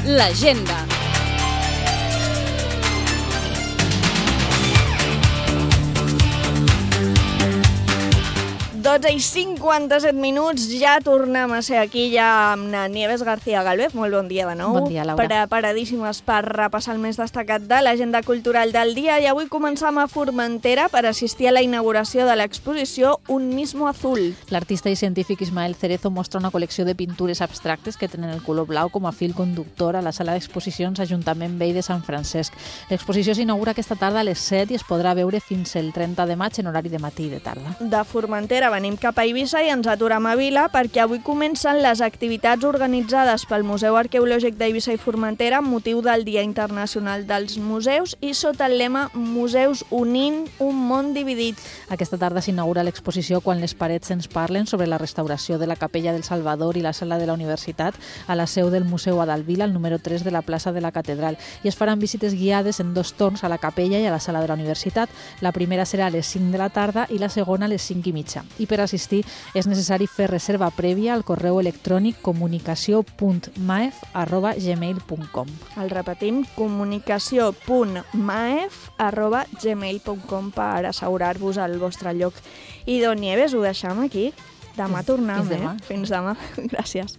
L'agenda. 12:57, ja tornem a ser aquí ja amb na Nieves García Galvez. Molt bon dia de nou. Bon dia, Laura. Preparadíssimes per repassar el més destacat de l'agenda cultural del dia i avui començam a Formentera per assistir a la inauguració de l'exposició Un mismo azul. L'artista i científic Ismael Cerezo mostra una col·lecció de pintures abstractes que tenen el color blau com a fil conductor a la sala d'exposicions Ajuntament Vell de Sant Francesc. L'exposició s'inaugura aquesta tarda a les 7 i es podrà veure fins el 30 de maig en horari de matí i de tarda. De Formentera venim cap a Eivissa i ens aturem a Vila perquè avui comencen les activitats organitzades pel Museu Arqueològic d'Eivissa i Formentera amb motiu del Dia Internacional dels Museus i sota el lema Museus unint un món dividit. Aquesta tarda s'inaugura l'exposició Quan les parets ens parlen sobre la restauració de la Capella del Salvador i la Sala de la Universitat a la seu del Museu Adalvila, al número 3 de la plaça de la Catedral. I es faran visites guiades en 2 torns a la capella i a la Sala de la Universitat. La primera serà a les 5 de la tarda i la segona a les 5:30. I per assistir és necessari fer reserva prèvia al correu electrònic comunicació.maef@gmail.com. El repetim, comunicació.maef@gmail.com per assegurar-vos el vostre lloc. I Don Nieves, ho deixam aquí. Demà tornem, Fins demà. Fins demà. Gràcies.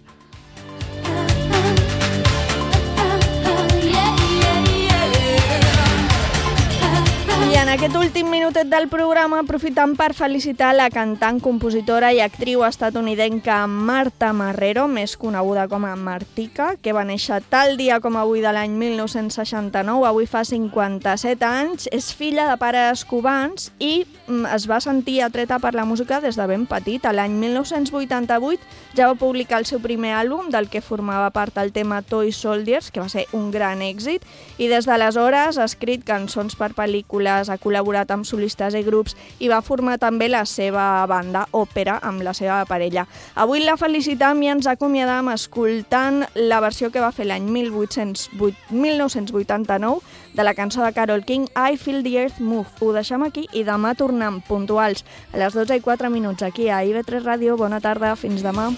I en aquest últim minutet del programa aprofitam per felicitar la cantant, compositora i actriu estatunidenca Marta Marrero, més coneguda com a Martica, que va néixer tal dia com avui de l'any 1969, avui fa 57 anys, és filla de pares cubans i es va sentir atreta per la música des de ben petita. L'any 1988 ja va publicar el seu primer àlbum, del que formava part el tema Toy Soldiers, que va ser un gran èxit, i des d'aleshores ha escrit cançons per pel·lícules, ha col·laborat amb solistes i grups i va formar també la seva banda Òpera amb la seva parella. Avui la felicitam i ens acomiadam escoltant la versió que va fer l'any 1989 de la cançó de Carole King, I Feel the Earth Move. Ho deixem aquí i demà tornem puntuals a les 12:04 aquí a IB3 Ràdio. Bona tarda, fins demà.